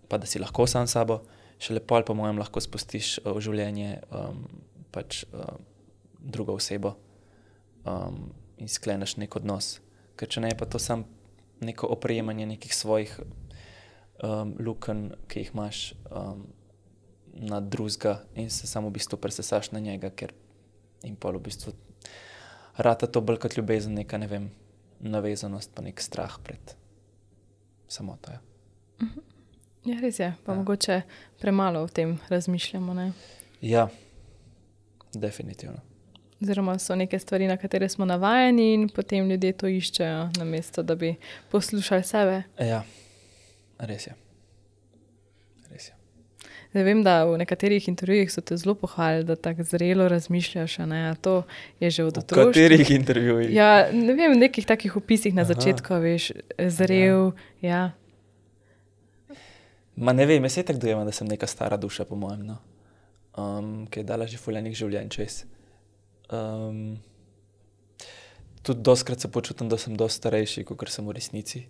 pa da si lahko sam sabo, šele pol po mojem lahko spustiš v življenje pač drugo osebo in skleneš nek odnos. Ker če ne, je pa to sam neko oprejemanje nekih svojih lukenj, ki jih imaš na drugega in se samo v bistvu presesaš na njega, ker in pol v bistvu rata to bolj kot ljubezen, neka, ne vem, navezanost pa nek strah pred samoto, ja. Ja, res je, pa mogoče premalo o tem razmišljamo, ne? Ja, definitivno. Oziroma so neke stvari, na katere smo navajeni in potem ljudje to iščejo, namesto da bi poslušali sebe. Ja, res je. Zdaj vem, da v nekaterih intervjujih so te zelo pohvalili, da tako zrelo razmišljaš, a ne, a to je že od otroštva. V katerih intervjujih? Ja, ne vem, v nekih takih opisih na začetku, veš, zrel, ja. Ma ne vem, jaz se tako dojemam, da sem neka stara duša, po mojem, no. Ki je dala že ful enih življenj čez. Tudi dostikrat se počutim, da sem dosti starejši, kakor sem v resnici.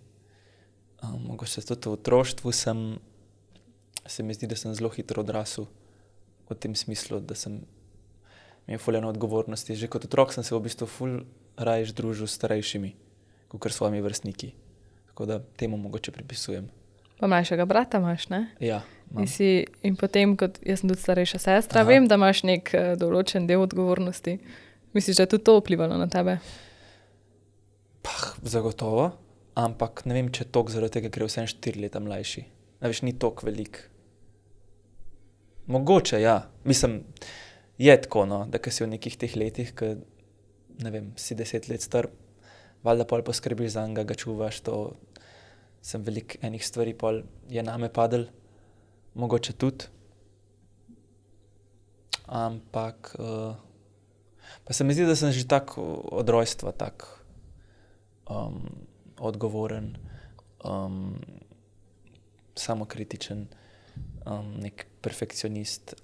Mogoče tudi v otroštvu se mi zdi, da sem zelo hitro odrasel v tem smislu, da sem imel ful eno odgovornosti. Že kot otrok sem se v bistvu ful raje družil s starejšimi, kakor s svojimi vrstniki. Tako da temu mogoče pripisujem. Pa mlajšega brata imaš, ne? Ja, imam. In potem, kot jaz sem tudi starejša sestra, vem, da imaš nek določen del odgovornosti. Misliš, da je tudi to vplivalo na tebe? Zagotovo, ampak ne vem, če toliko zaradi tega, ker je vsem 4 leta mlajši. Ne veš, ni toliko velik. Mogoče, ja. Mislim, je tako, no, da ko si v nekih teh letih, ko, ne vem, si 10 let star, valjda pol poskrbiš za njega, ga čuvaš, to sem veliko enih stvari pol je name padel, mogoče tudi. Ampak pa se mi zdi, da sem že tak od rojstva tak odgovoren, samokritičen, nek perfekcionist,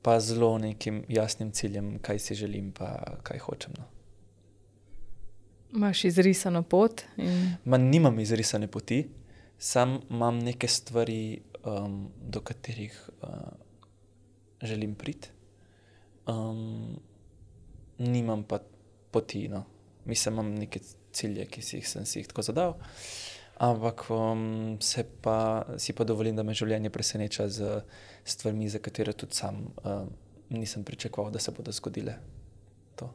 pa zelo nekim jasnim ciljem, kaj si želim pa kaj hočem, no. Imaš izrisano pot? Nimam izrisane poti, sam imam neke stvari, do katerih želim priti. Nimam pa poti, no. Mislim, imam neke cilje, ki sem si jih tako zadal, ampak si pa dovolim, da me življenje preseneča z stvarmi, za katere tudi sam nisem pričakoval, da se bodo zgodile. To.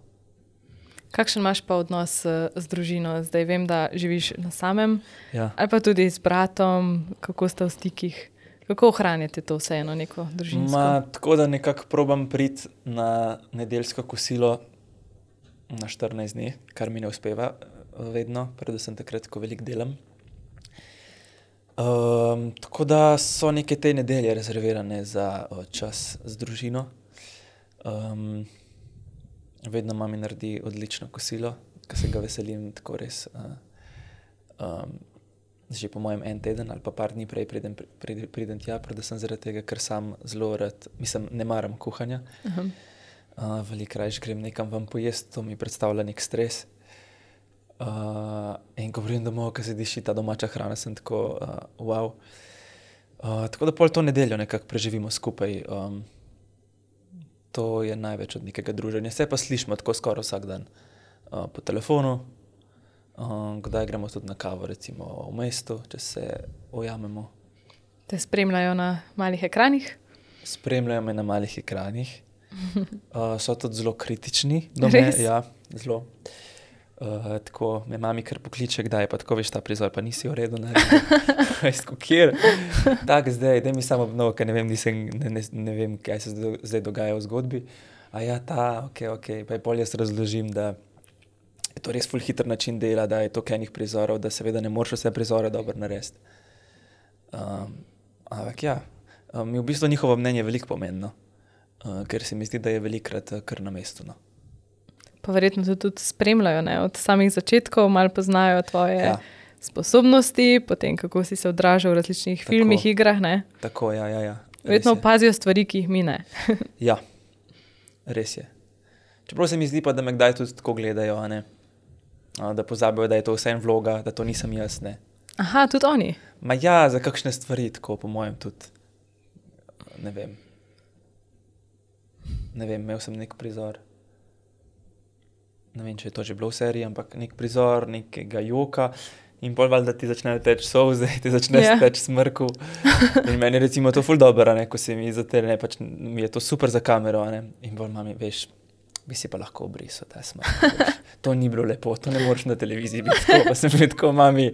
Kakšen imaš pa odnos z družino? Zdaj vem, da živiš na samem, Ja. ali pa tudi z bratom, kako ste v stikih? Kako ohranjate to vseeno neko družinsko? Tako da nekako probam priti na nedeljsko kosilo na 14 dni, kar mi ne uspeva vedno, predvsem takrat, ko veliko delam. Tako da so neke te nedelje rezervirane za čas z družino. Vedno mami naredi odlično kosilo, ko se ga veselim, tako res že po mojem en teden ali pa par dni prej pridem tja, predvsem zaradi tega, ker sam zelo rad, ne maram kuhanja. Veliko raje grem nekam ven pojesti, to mi predstavlja nek stres. In ko pridem domov, ko se diši ta domača hrana, sem tako, wow. Tako da pol to nedeljo nekako preživimo skupaj. To je največ od nekega druženja. Se pa slišimo tako skoraj vsak dan po telefonu. Kdaj gremo tudi na kavo, recimo v mestu, če se ujamemo. Te spremljajo na malih ekranih? Spremljajo me na malih ekranih. So tudi zelo kritični do mene. Res? Ja, zelo. Tako me mami kar pokliče, kdaj je pa tako, veš, ta prizor pa nisi v redu naredil. Veš, kjer? Tak zdaj, daj mi samo obnovo, ker ne vem, ne vem, kaj se zdaj dogaja v zgodbi. A ja, okej. Pa je pol jaz razložim, da je to res ful hiter način dela, da je toliko enih prizorov, da seveda ne moreš vse prizore dobro narediti. Ampak ja, mi v bistvu njihovo mnenje veliko pomembno, ker se mi zdi, da je velikokrat kar na mestu, no. Pa verjetno te tudi spremljajo, ne? Od samih začetkov, malo poznajo tvoje Ja. sposobnosti, potem kako si se odražal v različnih filmih, igrah, ne? Tako, ja. Verjetno Res je. opazijo stvari, ki jih mi ne. Ja, res je. Čeprav se mi zdi pa, da me kdaj tudi tako gledajo, a ne? Da pozabijo, da je to vseeno vloga, da to nisem jaz, ne. Aha, tudi oni. Ma ja, za kakšne stvari tako, po mojem tudi. Ne vem, imel sem nek prizor. Ne vem, če je to že bilo v seriji, ampak nek prizor, nekega joka in pol valjda ti začnejo teči solze, ti začne Ja. teči smrku. In meni je recimo to ful dobro, a ne, ko se mi zatrne, pač mi je to super za kamero, a ne. In pol mami, veš, bi si pa lahko obrisal ta smrk. Veš. To ni bilo lepo, to ne moreš na televiziji biti tako, pa sem bil tako, mami,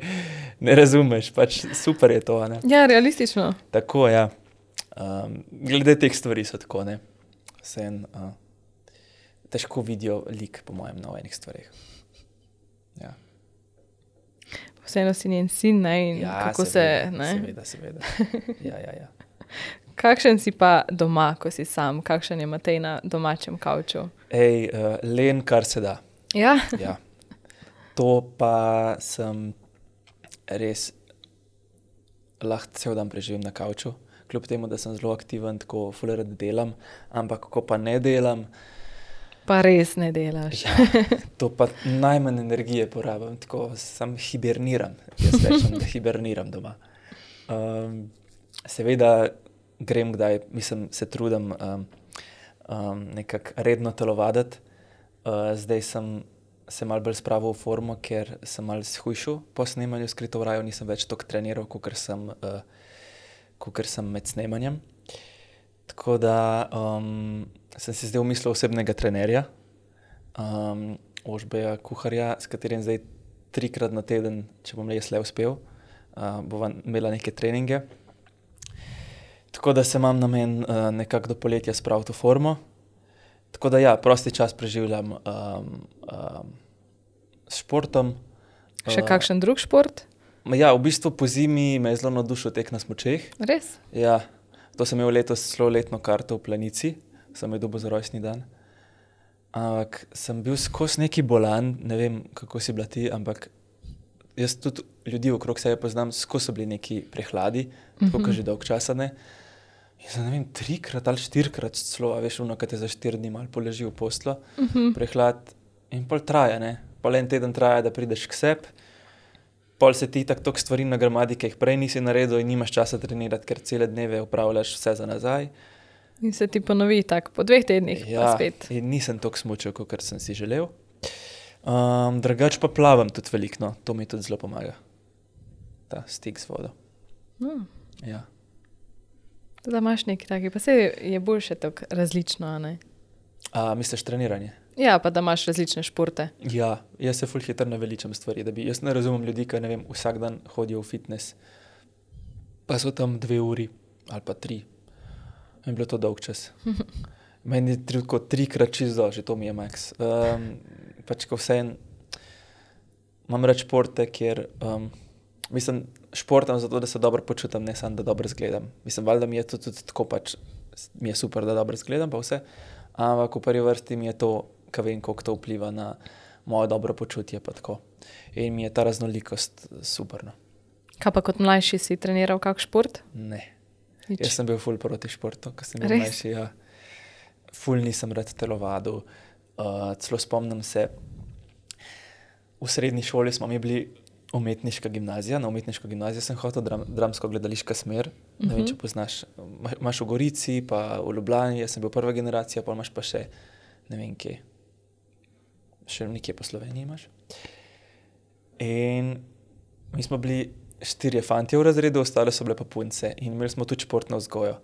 ne razumeš, pač super je to, a ne. Ja, realistično. Tako, ja. Glede teh stvari so tako, ne. Vseeno, težko vidijo lik, po mojem, na enih stvareh. Ja. Vseeno si njen sin, ne? In kako seveda, se, ne? Seveda. Ja. Kakšen si pa doma, ko si sam? Kakšen je Matej na domačem kavču? Len, kar se da. Ja? Ja. To pa sem res lahko cel dan preživim na kavču, kljub temu, da sem zelo aktiven, tako ful rad delam, ampak ko pa ne delam, Pa res ne delaš. ja, to pa najmanj energije porabim, tako sam hiberniram. Jaz rečem, da hiberniram doma. Seveda grem kdaj, se trudim nekako redno telovaditi. Zdaj sem se malo bolj spravil v formo, ker sem malo shujšal po snemanju Skrito v raju, nisem več toliko treniral, kakor sem med snemanjem. Tako da sem si zdaj umislil osebnega trenerja, Ožbeja Kuharja, s katerim zdaj 3-krat na teden, če bom res le uspel, bova imela neke treninge. Tako da se imam namen nekako do poletja spraviti v formo. Tako da ja, prosti čas preživljam s športom. Še kakšen drug šport? Ja, v bistvu po zimi me je zelo navdušil tek na smučeh. Res? Ja, to sem imel letos celo letno karto v Planici, sem jo dobil za rojstni dan. Ampak sem bil skozi neki bolan, ne vem, kako si bila ti, ampak jaz tudi ljudi okrog sebe poznam, skozi so bili neki prehladi, tako kot že dolg časa ne. In sem, ne vem, 3-krat ali 4-krat celo, a veš, ono, kad te za 4 dni malo poleži v poslo, prehlad in pol traja, ne. Pol en teden traja, da prideš k sebi, pol se ti tako toliko stvari nagromadi, ki jih prej nisi naredil in nimaš časa trenirati, ker cele dneve upravljaš vse za nazaj. In se ti ponovi tako po 2 tednih, pa Ja, spet. in nisem toliko smučal, kakor sem si želel. Drugače pa plavam tudi veliko, no. To mi tudi zelo pomaga. Ta stik z vodo. Ja. Da imaš neki taki, pa se je boljše tako različno, a ne? Misliš treniranje? Ja, pa da imaš različne športe. Ja, jaz se ful hitro naveličam stvari, jaz ne razumem ljudi, ki, ne vem, vsak dan hodijo v fitness, pa so tam 2 uri ali pa 3. In bilo to dolg čas. Meni je tako 3-krat čisto, že to mi je max. Pač ko vseeno imam rad športe, kjer športam zato, da se dobro počutam, ne samo, da dobro izgledam. Valjda mi je to tudi tako pač, mi je super, da dobro izgledam pa vse, ampak v prvi vrsti mi je to, ko vem, koliko to vpliva na moje dobro počutje pa tako. In mi je ta raznolikost super, no. Kaj pa kot mlajši si treniral kak šport? Ne. Nič. Jaz sem bil ful proti športu, ko sem bil Res? mlajši, ja. Ful nisem rad telovadil. Celo spomnim se, v srednji šoli smo mi bili umetniška gimnazija. Na umetniško gimnazijo sem hotel, dramsko-gledališka smer. Ne vem, če poznaš. Imaš v Gorici, pa v Ljubljani, jaz sem bil prva generacija, pa imaš pa še, ne vem kje, še nekje po Sloveniji imaš. In mi smo bili 4 fantje v razredu, ostale so bile pa punce in imeli smo tudi športno vzgojo.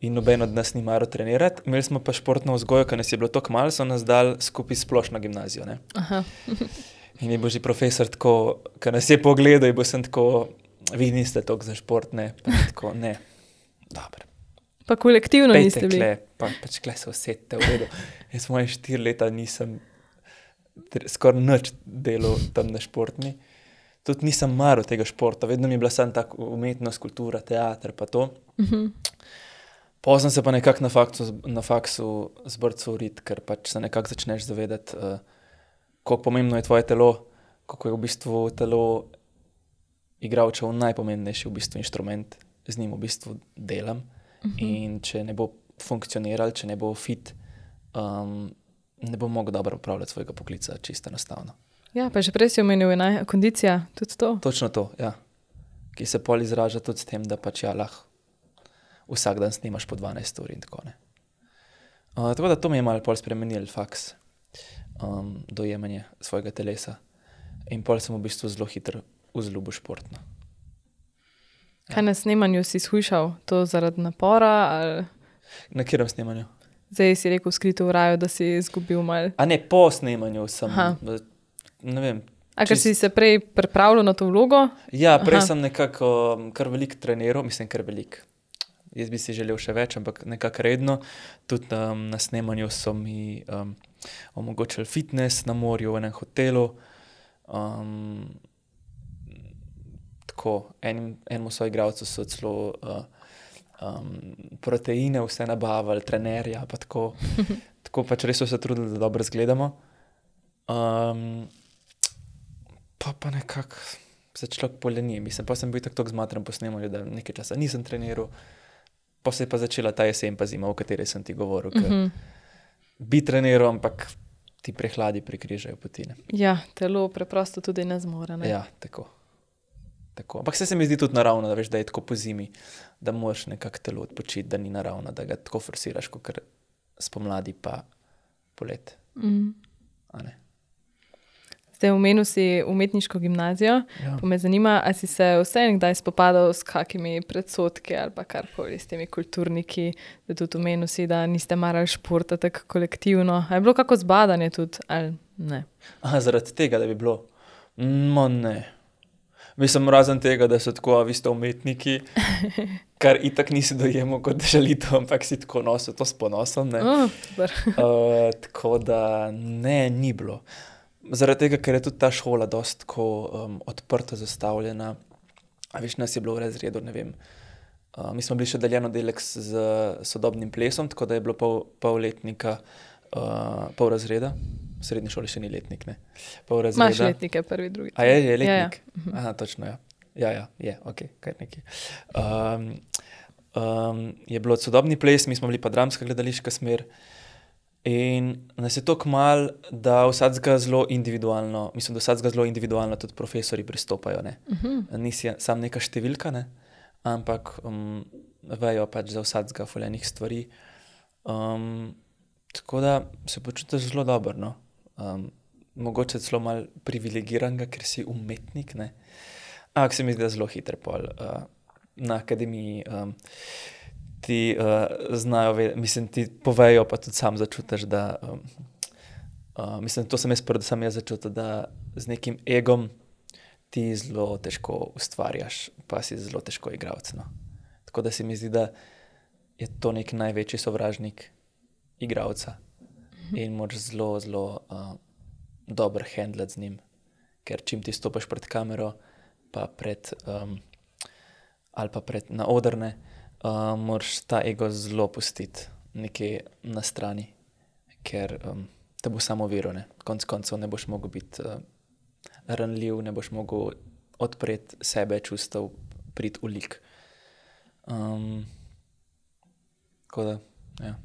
In noben od nas ni maral trenirati. Imeli smo pa športno vzgojo, ker nas je bilo toliko malo, so nas dali skupaj splošno gimnazijo. Ne? Aha. In je bil že profesor tako, ker nas je pogledal in bo sem tako, vi niste toliko za šport, ne, pa tako, ne, dobro. Pa kolektivno Pejte niste bili. pač kle se usedite, v redu. Jaz moje 4 leta nisem skoraj nič delal tam na športni. Tudi nisem maral tega športa, vedno mi je bila samo tak umetnost, kultura, teater pa to. Potem sem se pa nekako na faksu zbrcal urit, ker pač se nekako začneš zavedati, koliko pomembno je tvoje telo, koliko je v bistvu telo igralčev najpomembnejši v bistvu inštrument, z njim v bistvu delam. In če ne bo funkcioniral, če ne bo fit, ne bo mogel dobro upravljati svojega poklica, čisto enostavno. Ja, pa že prej si omenil, kondicija, tudi to. Točno to, ja. Ki se pol izraža tudi s tem, da pač lahko vsak dan snimaš po 12 ur in tako ne. Tako da to mi je malo pol spremenil faks, dojemanje svojega telesa. In pol sem v bistvu zelo hitro vzljubil športno. Kaj na snemanju si shujšal? To zaradi napora? Ali... Na katerem snemanju? Zdaj si rekel Skrito v raju, da si izgubil malo. A ne, po snemanju sem, ne vem. A ker si se prej pripravljal na to vlogo? Ja, prej sem nekako kar veliko treniral, mislim kar veliko. Jaz bi si želel še več, ampak nekako redno. Tudi na snemanju so mi omogočili fitness na morju v enem hotelu. Tako, enemu soigralcu so celo proteine vse nabavili, trenerja, pa tako. Tako pač res so se trudili, da dobro izgledamo. Pa nekako se človek poleni. Mislim, pa sem bil tako zmatran po snemanju, da nekaj časa nisem treniral. Pa se je pa začela ta jesen pa zima, o kateri sem ti govoril. Bi treniral, ampak ti prehladi prekrižajo poti. Ja, telo preprosto tudi ne zmore. Ne? Ja, tako. Ampak se mi zdi tudi naravno, da veš, da je tako po zimi, da moraš nekako telo odpočiti, da ni naravno, da ga tako forsiraš, kot spomladi pa polet. A ne? Zdaj omenil si umetniško gimnazijo, pa me zanima, a si se vse kdaj spopadal s kakimi predsodki ali pa karkoli s temi kulturniki, da tudi omenil si, da niste marali športa tako kolektivno. A je bilo kako zbadanje tudi ali ne? Aha, zaradi tega, da bi bilo? Ne. Mislim, razen tega, da so tako, vi ste umetniki, kar itak nisi dojemal kot žalitev, ampak si tako nosil to s ponosom. Tako da ne, ni bilo. Zaradi tega, ker je tudi ta šola dosti odprto zastavljena. A veš, nas je bilo v razredu, ne vem. Mi smo bili še deljeno delek z sodobnim plesom, tako da je bilo pol letnika, pol razreda. V srednji šoli še ni letnik, ne. Pol razreda. Imaš letnike, prvi, drugi. A je letnik? Ja. Aha, točno, ja. Ja, je, okej, kaj nekaj. Je bilo sodobni ples, mi smo bili pa dramska gledališka smer. In nas je toliko malo, da vsakega zelo individualno, mislim, da vsakega zelo individualno tudi profesori pristopajo, ne. Nisi sam neka številka, ne, ampak vejo pač za vsakega fulejnih stvari. Tako da se počutiš zelo dobro, no. Mogoče celo malo privilegiranega, ker si umetnik, ne. Ampak se mi zdi, da zelo hitro pol na akademiji ti znajo mislim, ti povejo, pa tudi sam začutiš, da mislim, to sem predvsem jaz začutil, da z nekim egom ti zelo težko ustvarjaš, pa si zelo težko igralec, no. Tako da se mi zdi, da je to neki največji sovražnik igralca in moraš zelo, zelo dobro handlati z njim, ker čim ti stopaš pred kamero, pa ali pa na odrne, moraš ta ego zelo pustiti nekje na strani, ker te bo samo oviro, ne. Konec koncev ne boš mogel biti ranljiv, ne boš mogel odpreti sebe, čustev, priti v lik. Tako da, ja.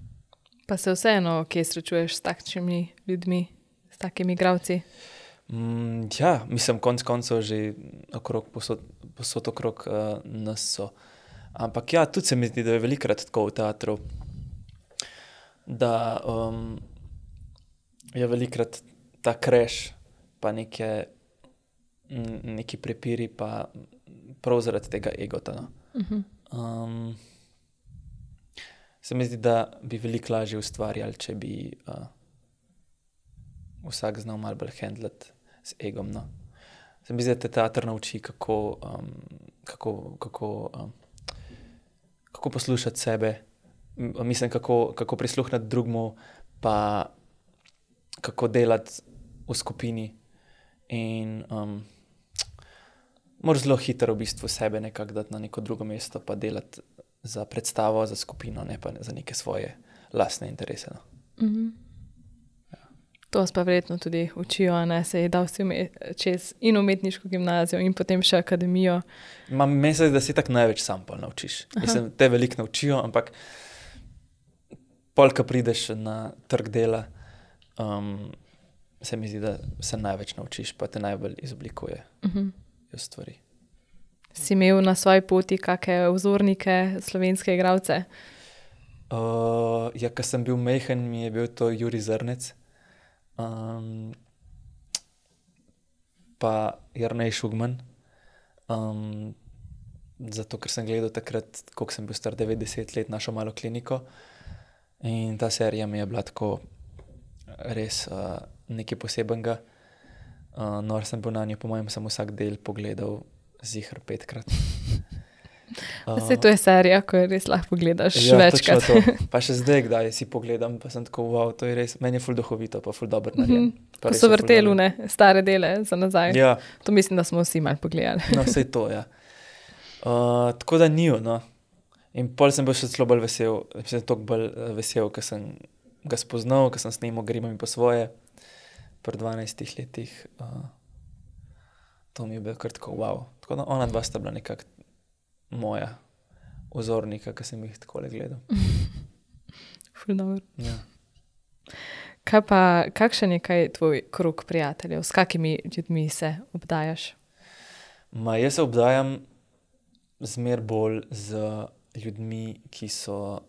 Pa se vseeno, kje srečuješ s takšnimi ljudmi, s takimi igralci? Ja, mislim, konec koncev že posod okrog nas so. Ampak ja, tudi se mi zdi, da je velikokrat tako v teatru, da je velikokrat ta crash, pa neki prepiri, pa prav zaradi tega egota. No. Se mi zdi, da bi veliko lažje ustvarjali, če bi vsak znal malo bolj handlati z egom. No. Se mi zdi, da te teater nauči, kako poslušati sebe, mislim, kako prisluhniti drugmu, pa kako delati v skupini. In moraš zelo hitro v bistvu sebe nekako dati na neko drugo mesto, pa delati za predstavo, za skupino, ne pa za neke svoje lastne interese. No. To vas pa verjetno tudi učijo, ne? Se je dal si čez in umetniško gimnazijo in potem še akademijo. Meni se zdi, da si tako največ sam pol naučiš. Mislim, te veliko naučijo, ampak pol, ko prideš na trg dela, se mi zdi, da se največ naučiš, pa te najbolj izoblikuje stvari. Si imel na svoji poti kakšne vzornike, slovenske igralce? Ja, ko sem bil majhen, mi je bil to Jurij Zrnec. Pa Jernej Šugman. Zato, ker sem gledal takrat, koliko sem bil star, 90 let, našo malo kliniko. In ta serija mi je bila tako res nekaj posebenega. Nor sem bil na njo, po mojem sem vsak del pogledal ziher 5-krat. Saj to je serija, ko jo res lahko pogledaš večkrat. Ja, točno to. Pa še zdaj, kdaj si pogledam, pa sem tako, wow, to je res, meni je ful duhovito, pa ful dobro narejen. Ko so vrteli stare dele za nazaj. Ja. To mislim, da smo vsi malo pogledali. No, saj to, ja. Tako da ni, no. In pol sem bil še celo bolj vesel, toliko bolj vesel, ker sem ga spoznal, ker sem snemal Grimami po svoje, pri 12 letih. To mi je bil kar tako, wow. Tako da ona dva sta bila nekako moja vzornika, ki sem jih takole gledal. Ful dobro. Ja. Kakšen je tvoj krog prijateljev? S kakimi ljudmi se obdajaš? Jaz se obdajam zmer bolj z ljudmi, ki so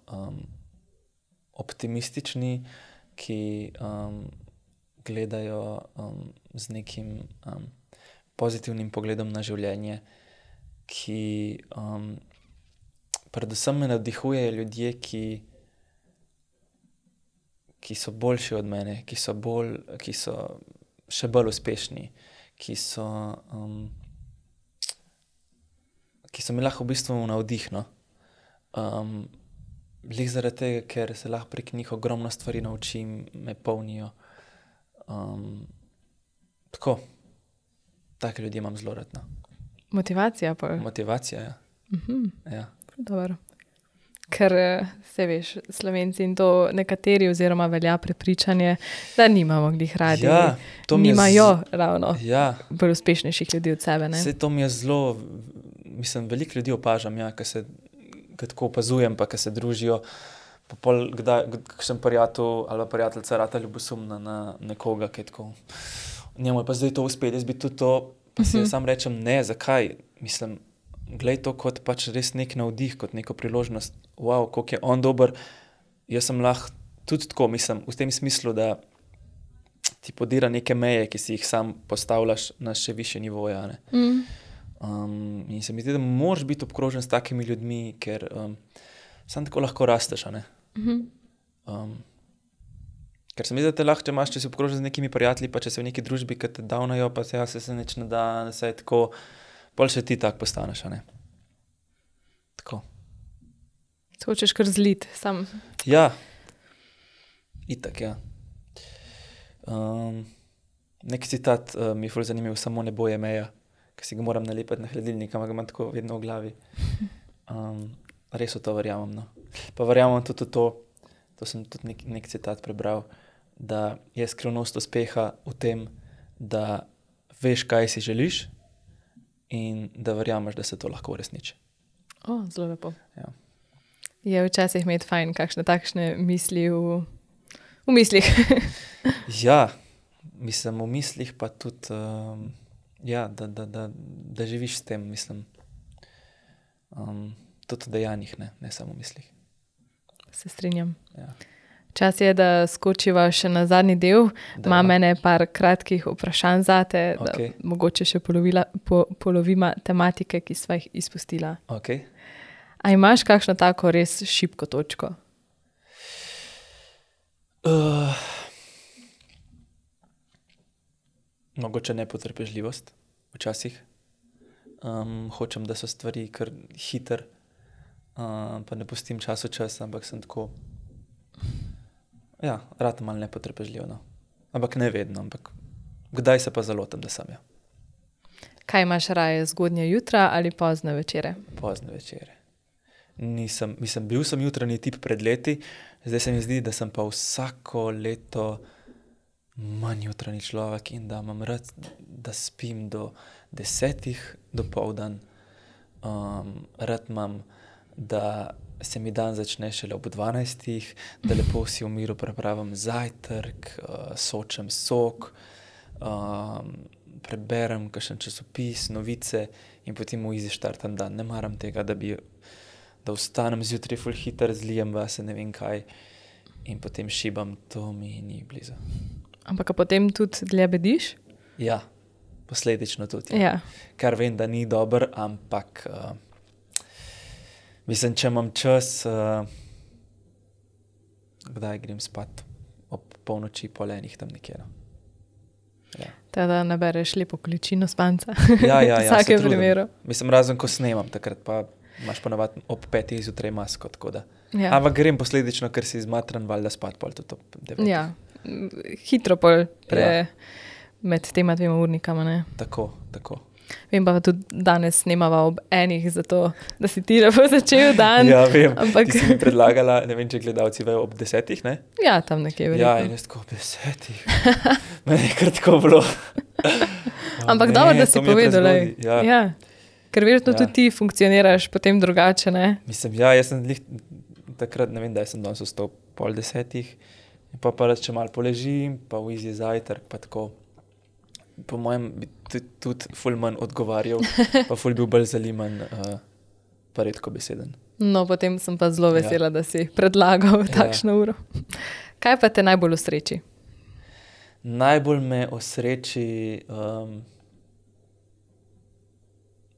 optimistični, ki gledajo z nekim pozitivnim pogledom na življenje, ki predvsem me navdihujejo ljudje, ki so boljši od mene, ki so še bolj uspešni, ki so mi lahko v bistvu navdih, no. Glih zaradi tega, ker se lahko prek njih ogromno stvari naučim, me polnijo. Tako. Take ljudje imam zelo rad, no. Motivacija pa? Motivacija, ja. Ja. Dobro. Ker se veš, Slovenci in to nekateri oziroma velja prepričanje, da nimamo glih radi. Ja, to mi je nimajo ravno ja. bolj uspešnejših ljudi od sebe, ne? Saj to mi je zelo, mislim, veliko ljudi opažam, ja, ko tako opazujem, pa ko se družijo, pa pol kakšen prijatelj ali prijateljica rata ljubosumna na nekoga, ki je tako, njemu je pa zdaj to uspelo, jaz bi tudi to, pa si sam rečem, ne, zakaj, mislim, glej to kot pač res nek navdih, kot neko priložnost, wow, koliko je on dober, jaz sem lahko tudi tako, mislim, v tem smislu, da ti podira neke meje, ki si jih sam postavljaš na še višje nivoje, ne. In se mi zdi, da moraš biti obkrožen s takimi ljudmi, ker sam tako lahko rasteš, a ne. Ker se mi zdi, da te lahko, če si obkrožen z nekimi prijatelji, pa če si v neki družbi, ki te davnajo, pa se nič ne da, se je tako, pol še ti tak postaneš, a ne. Tako. Se hočeš kar zliti, sam. Ja. Itak, ja. Nek citat mi je ful zanimiv, samo nebo je meja, ki si ga moram nalepiti na hladilnik, ampak ga imam tako vedno v glavi. Res v to verjamem, no. Pa verjamem tudi v to sem tudi nek citat prebral, da je skrivnost uspeha v tem, da veš, kaj si želiš in da verjameš, da se to lahko uresniči. Zelo lepo. Ja. Je včasih imeti fajn kakšne takšne misli v mislih. Ja, Mislim, v mislih pa tudi, ja, da živiš s tem, mislim. Tudi v dejanjih, ne samo v mislih. Se strinjam. Ja. Čas je, da skočiva še na zadnji del. Da. Imam ene par kratkih vprašanj zate, Okej. da mogoče še polovima tematike, ki sva jih izpustila. Ok. A imaš kakšno tako res šibko točko? Mogoče nepotrpežljivost včasih. Hočem, da so stvari kar hiter, pa ne pustim čas, ampak sem tako, ja, rad malo nepotrpežljiv, no. Ampak ne vedno, ampak kdaj se pa zalotim, da sem, ja. Kaj imaš raje, zgodnje jutra ali pozne večere? Pozne večere. Bil sem jutranji tip pred leti, zdaj se mi zdi, da sem pa vsako leto manj jutranji človek in da imam rad, da spim do 10 dopoldan. Rad imam, da se mi dan začne šele ob 12, da lepo si v miru pripravim zajtrk, sočem sok, preberem kakšen časopis, novice in potem v izi štartam dan. Ne maram tega, da vstanem zjutraj ful hiter, zlijem vase ne vem kaj in potem šibam, to mi ni blizu. Ampak a potem tudi dlje bediš? Ja, posledično tudi. Ja. Kar vem, da ni dober, ampak mislim, če imam čas, kdaj grem spat? Ob polnoči, pol enih tam nekje, no. Ja. Teda nabereš lepo količino spanca. Ja, v se vsakem trudim. primeru. Mislim, razen ko snemam, takrat pa imaš ponavadi ob 5 zjutraj masko, tako da. Ja. Ampak grem posledično, ker si zmatran, valjda spat pol tudi ob 9. Ja, hitro pol med tema dvema urnikama, ne. Tako. Vem pa tudi danes snemava ob 1, zato da si ti lepo začel dan. Ja, vem, ampak... ti si mi predlagala, ne vem, če gledalci vejo, ob 10, ne? Ja, tam nekje verjetno. Ja, in jaz tako ob 10. Meni je kar tako bilo. Ampak ne, dobro, da si to mi je povedal. prezgodaj. Ja. Ker verjetno Ja. tudi ti funkcioniraš potem drugače, ne? Mislim, ja, jaz sem takrat, ne vem, da sem danes vstal pol 10, in pa če malo poležim, pa v izi zajtrk, pa tako. Po mojem bi tudi ful manj odgovarjal, pa ful bil bolj zaliman, pa redko beseden. No, potem sem pa zelo vesela, da si predlagal takšno uro. Kaj pa te najbolj osreči? Najbolj me osreči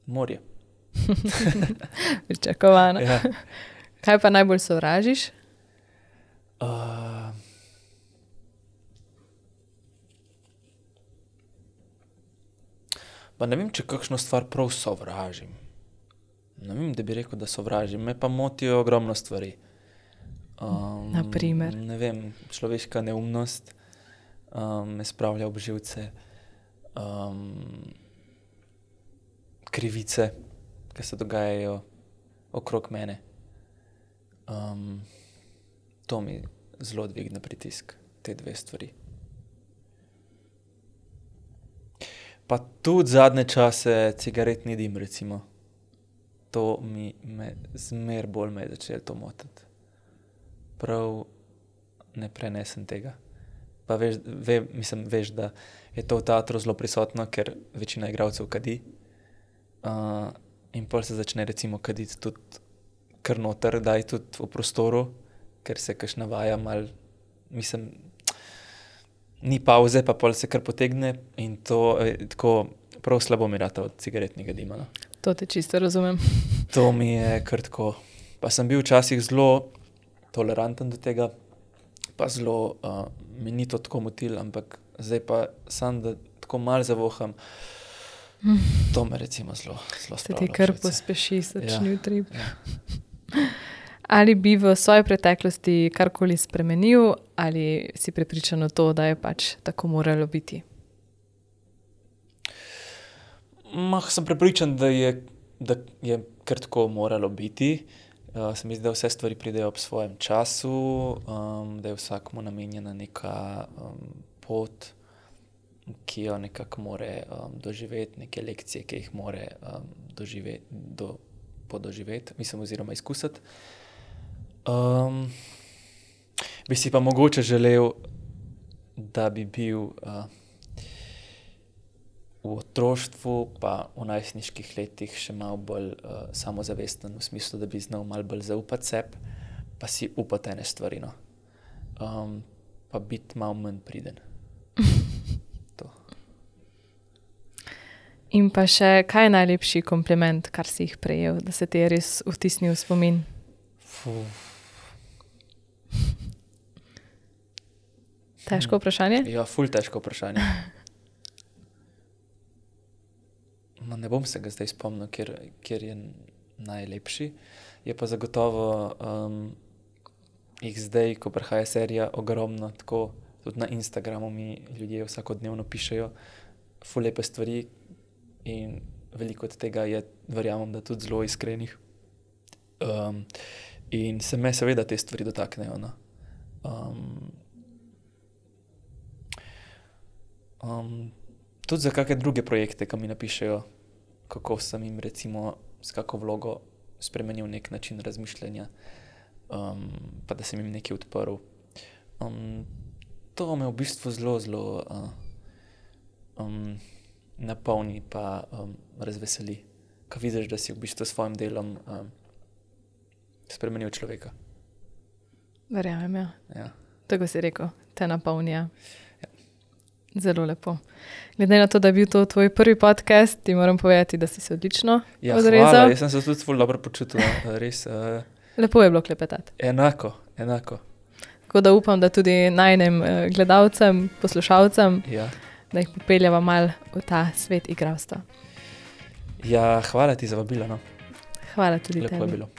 morje. Pričakovano. Ja. Kaj pa najbolj sovražiš? Pa ne vem, če kakšno stvar prav sovražim. Ne vem, da bi rekel, da sovražim. Me pa motijo ogromno stvari. Na primer? Ne vem, človeška neumnost me spravlja ob živce. Krivice, ki se dogajajo okrog mene. To mi zelo dvigne pritisk, te dve stvari. Pa tudi zadnje čase cigaretni dim, recimo. To me zmer bolj me je začelo to motiti. Prav ne prenesem tega. Pa veš, da je to v teatru zelo prisotno, ker večina igralcev kadi. In pol se začne recimo kaditi tudi kar noter, daj tudi v prostoru, ker se kakšna vaja malo, mislim, ni pauze, pa pol se kar potegne in to tako prav slabo mi rata od cigaretnega dima. No. To te čisto razumem. To mi je kar tako. Pa sem bil včasih zelo toleranten do tega, pa zelo mi ni to tako motil, ampak zdaj pa sam, da tako malo zavoham, to me recimo zelo Se spravlja. ti kar v živce. pospeši srčni utrip. Ja. Ali bi v svoji preteklosti karkoli spremenil, ali si prepričan v to, da je pač tako moralo biti? Sem prepričan, da je kar tako moralo biti. Se mi zdi, da vse stvari pridejo ob svojem času, da je vsakmu namenjena neka pot, ki jo nekako more doživeti, neke lekcije, ki jih more podoživeti, mislim, oziroma izkusiti. Bi si pa mogoče želel, da bi bil v otroštvu, pa v najstniških letih še malo bolj samozavesten, v smislu, da bi znal malo bolj zaupati sebi, pa si upati ene stvari. No. Pa biti malo manj priden. To. In pa še, kaj je najlepši kompliment, kar si jih prejel, da se ti je res vtisnil v spomin? Težko vprašanje? Ja, ful težko vprašanje. Ne bom se ga zdaj spomnil, kjer je najlepši. Je pa zagotovo jih zdaj, ko prihaja serija, ogromno, tako tudi na Instagramu mi ljudje vsakodnevno pišejo ful lepe stvari in veliko od tega je, verjamem, da tudi zelo iskrenih. In se me seveda te stvari dotaknejo. No. Tudi za kakšne druge projekte, ki mi napišejo, kako sem jim recimo s kako vlogo spremenil nek način razmišljanja, pa da sem jim nekaj odprl. To me v bistvu zelo napolni pa razveseli, ko vidiš, da si v bistvu s svojim delom spremenil človeka. Verjamem, ja. Ja. Tako si rekel, te napolnja. Zelo lepo. Glede na to, da je bil to tvoj prvi podcast, ti moram povedati, da si se odlično odrezal. Hvala, jaz sem se tudi ful dobro počutil. Res, lepo je bilo klepetati. Enako. Tako da upam, da tudi najnem gledalcem, poslušalcem, da jih popeljava mal v ta svet igralstva. Ja, hvala ti za vabilo. No. Hvala tudi lepo tebi. Je bilo.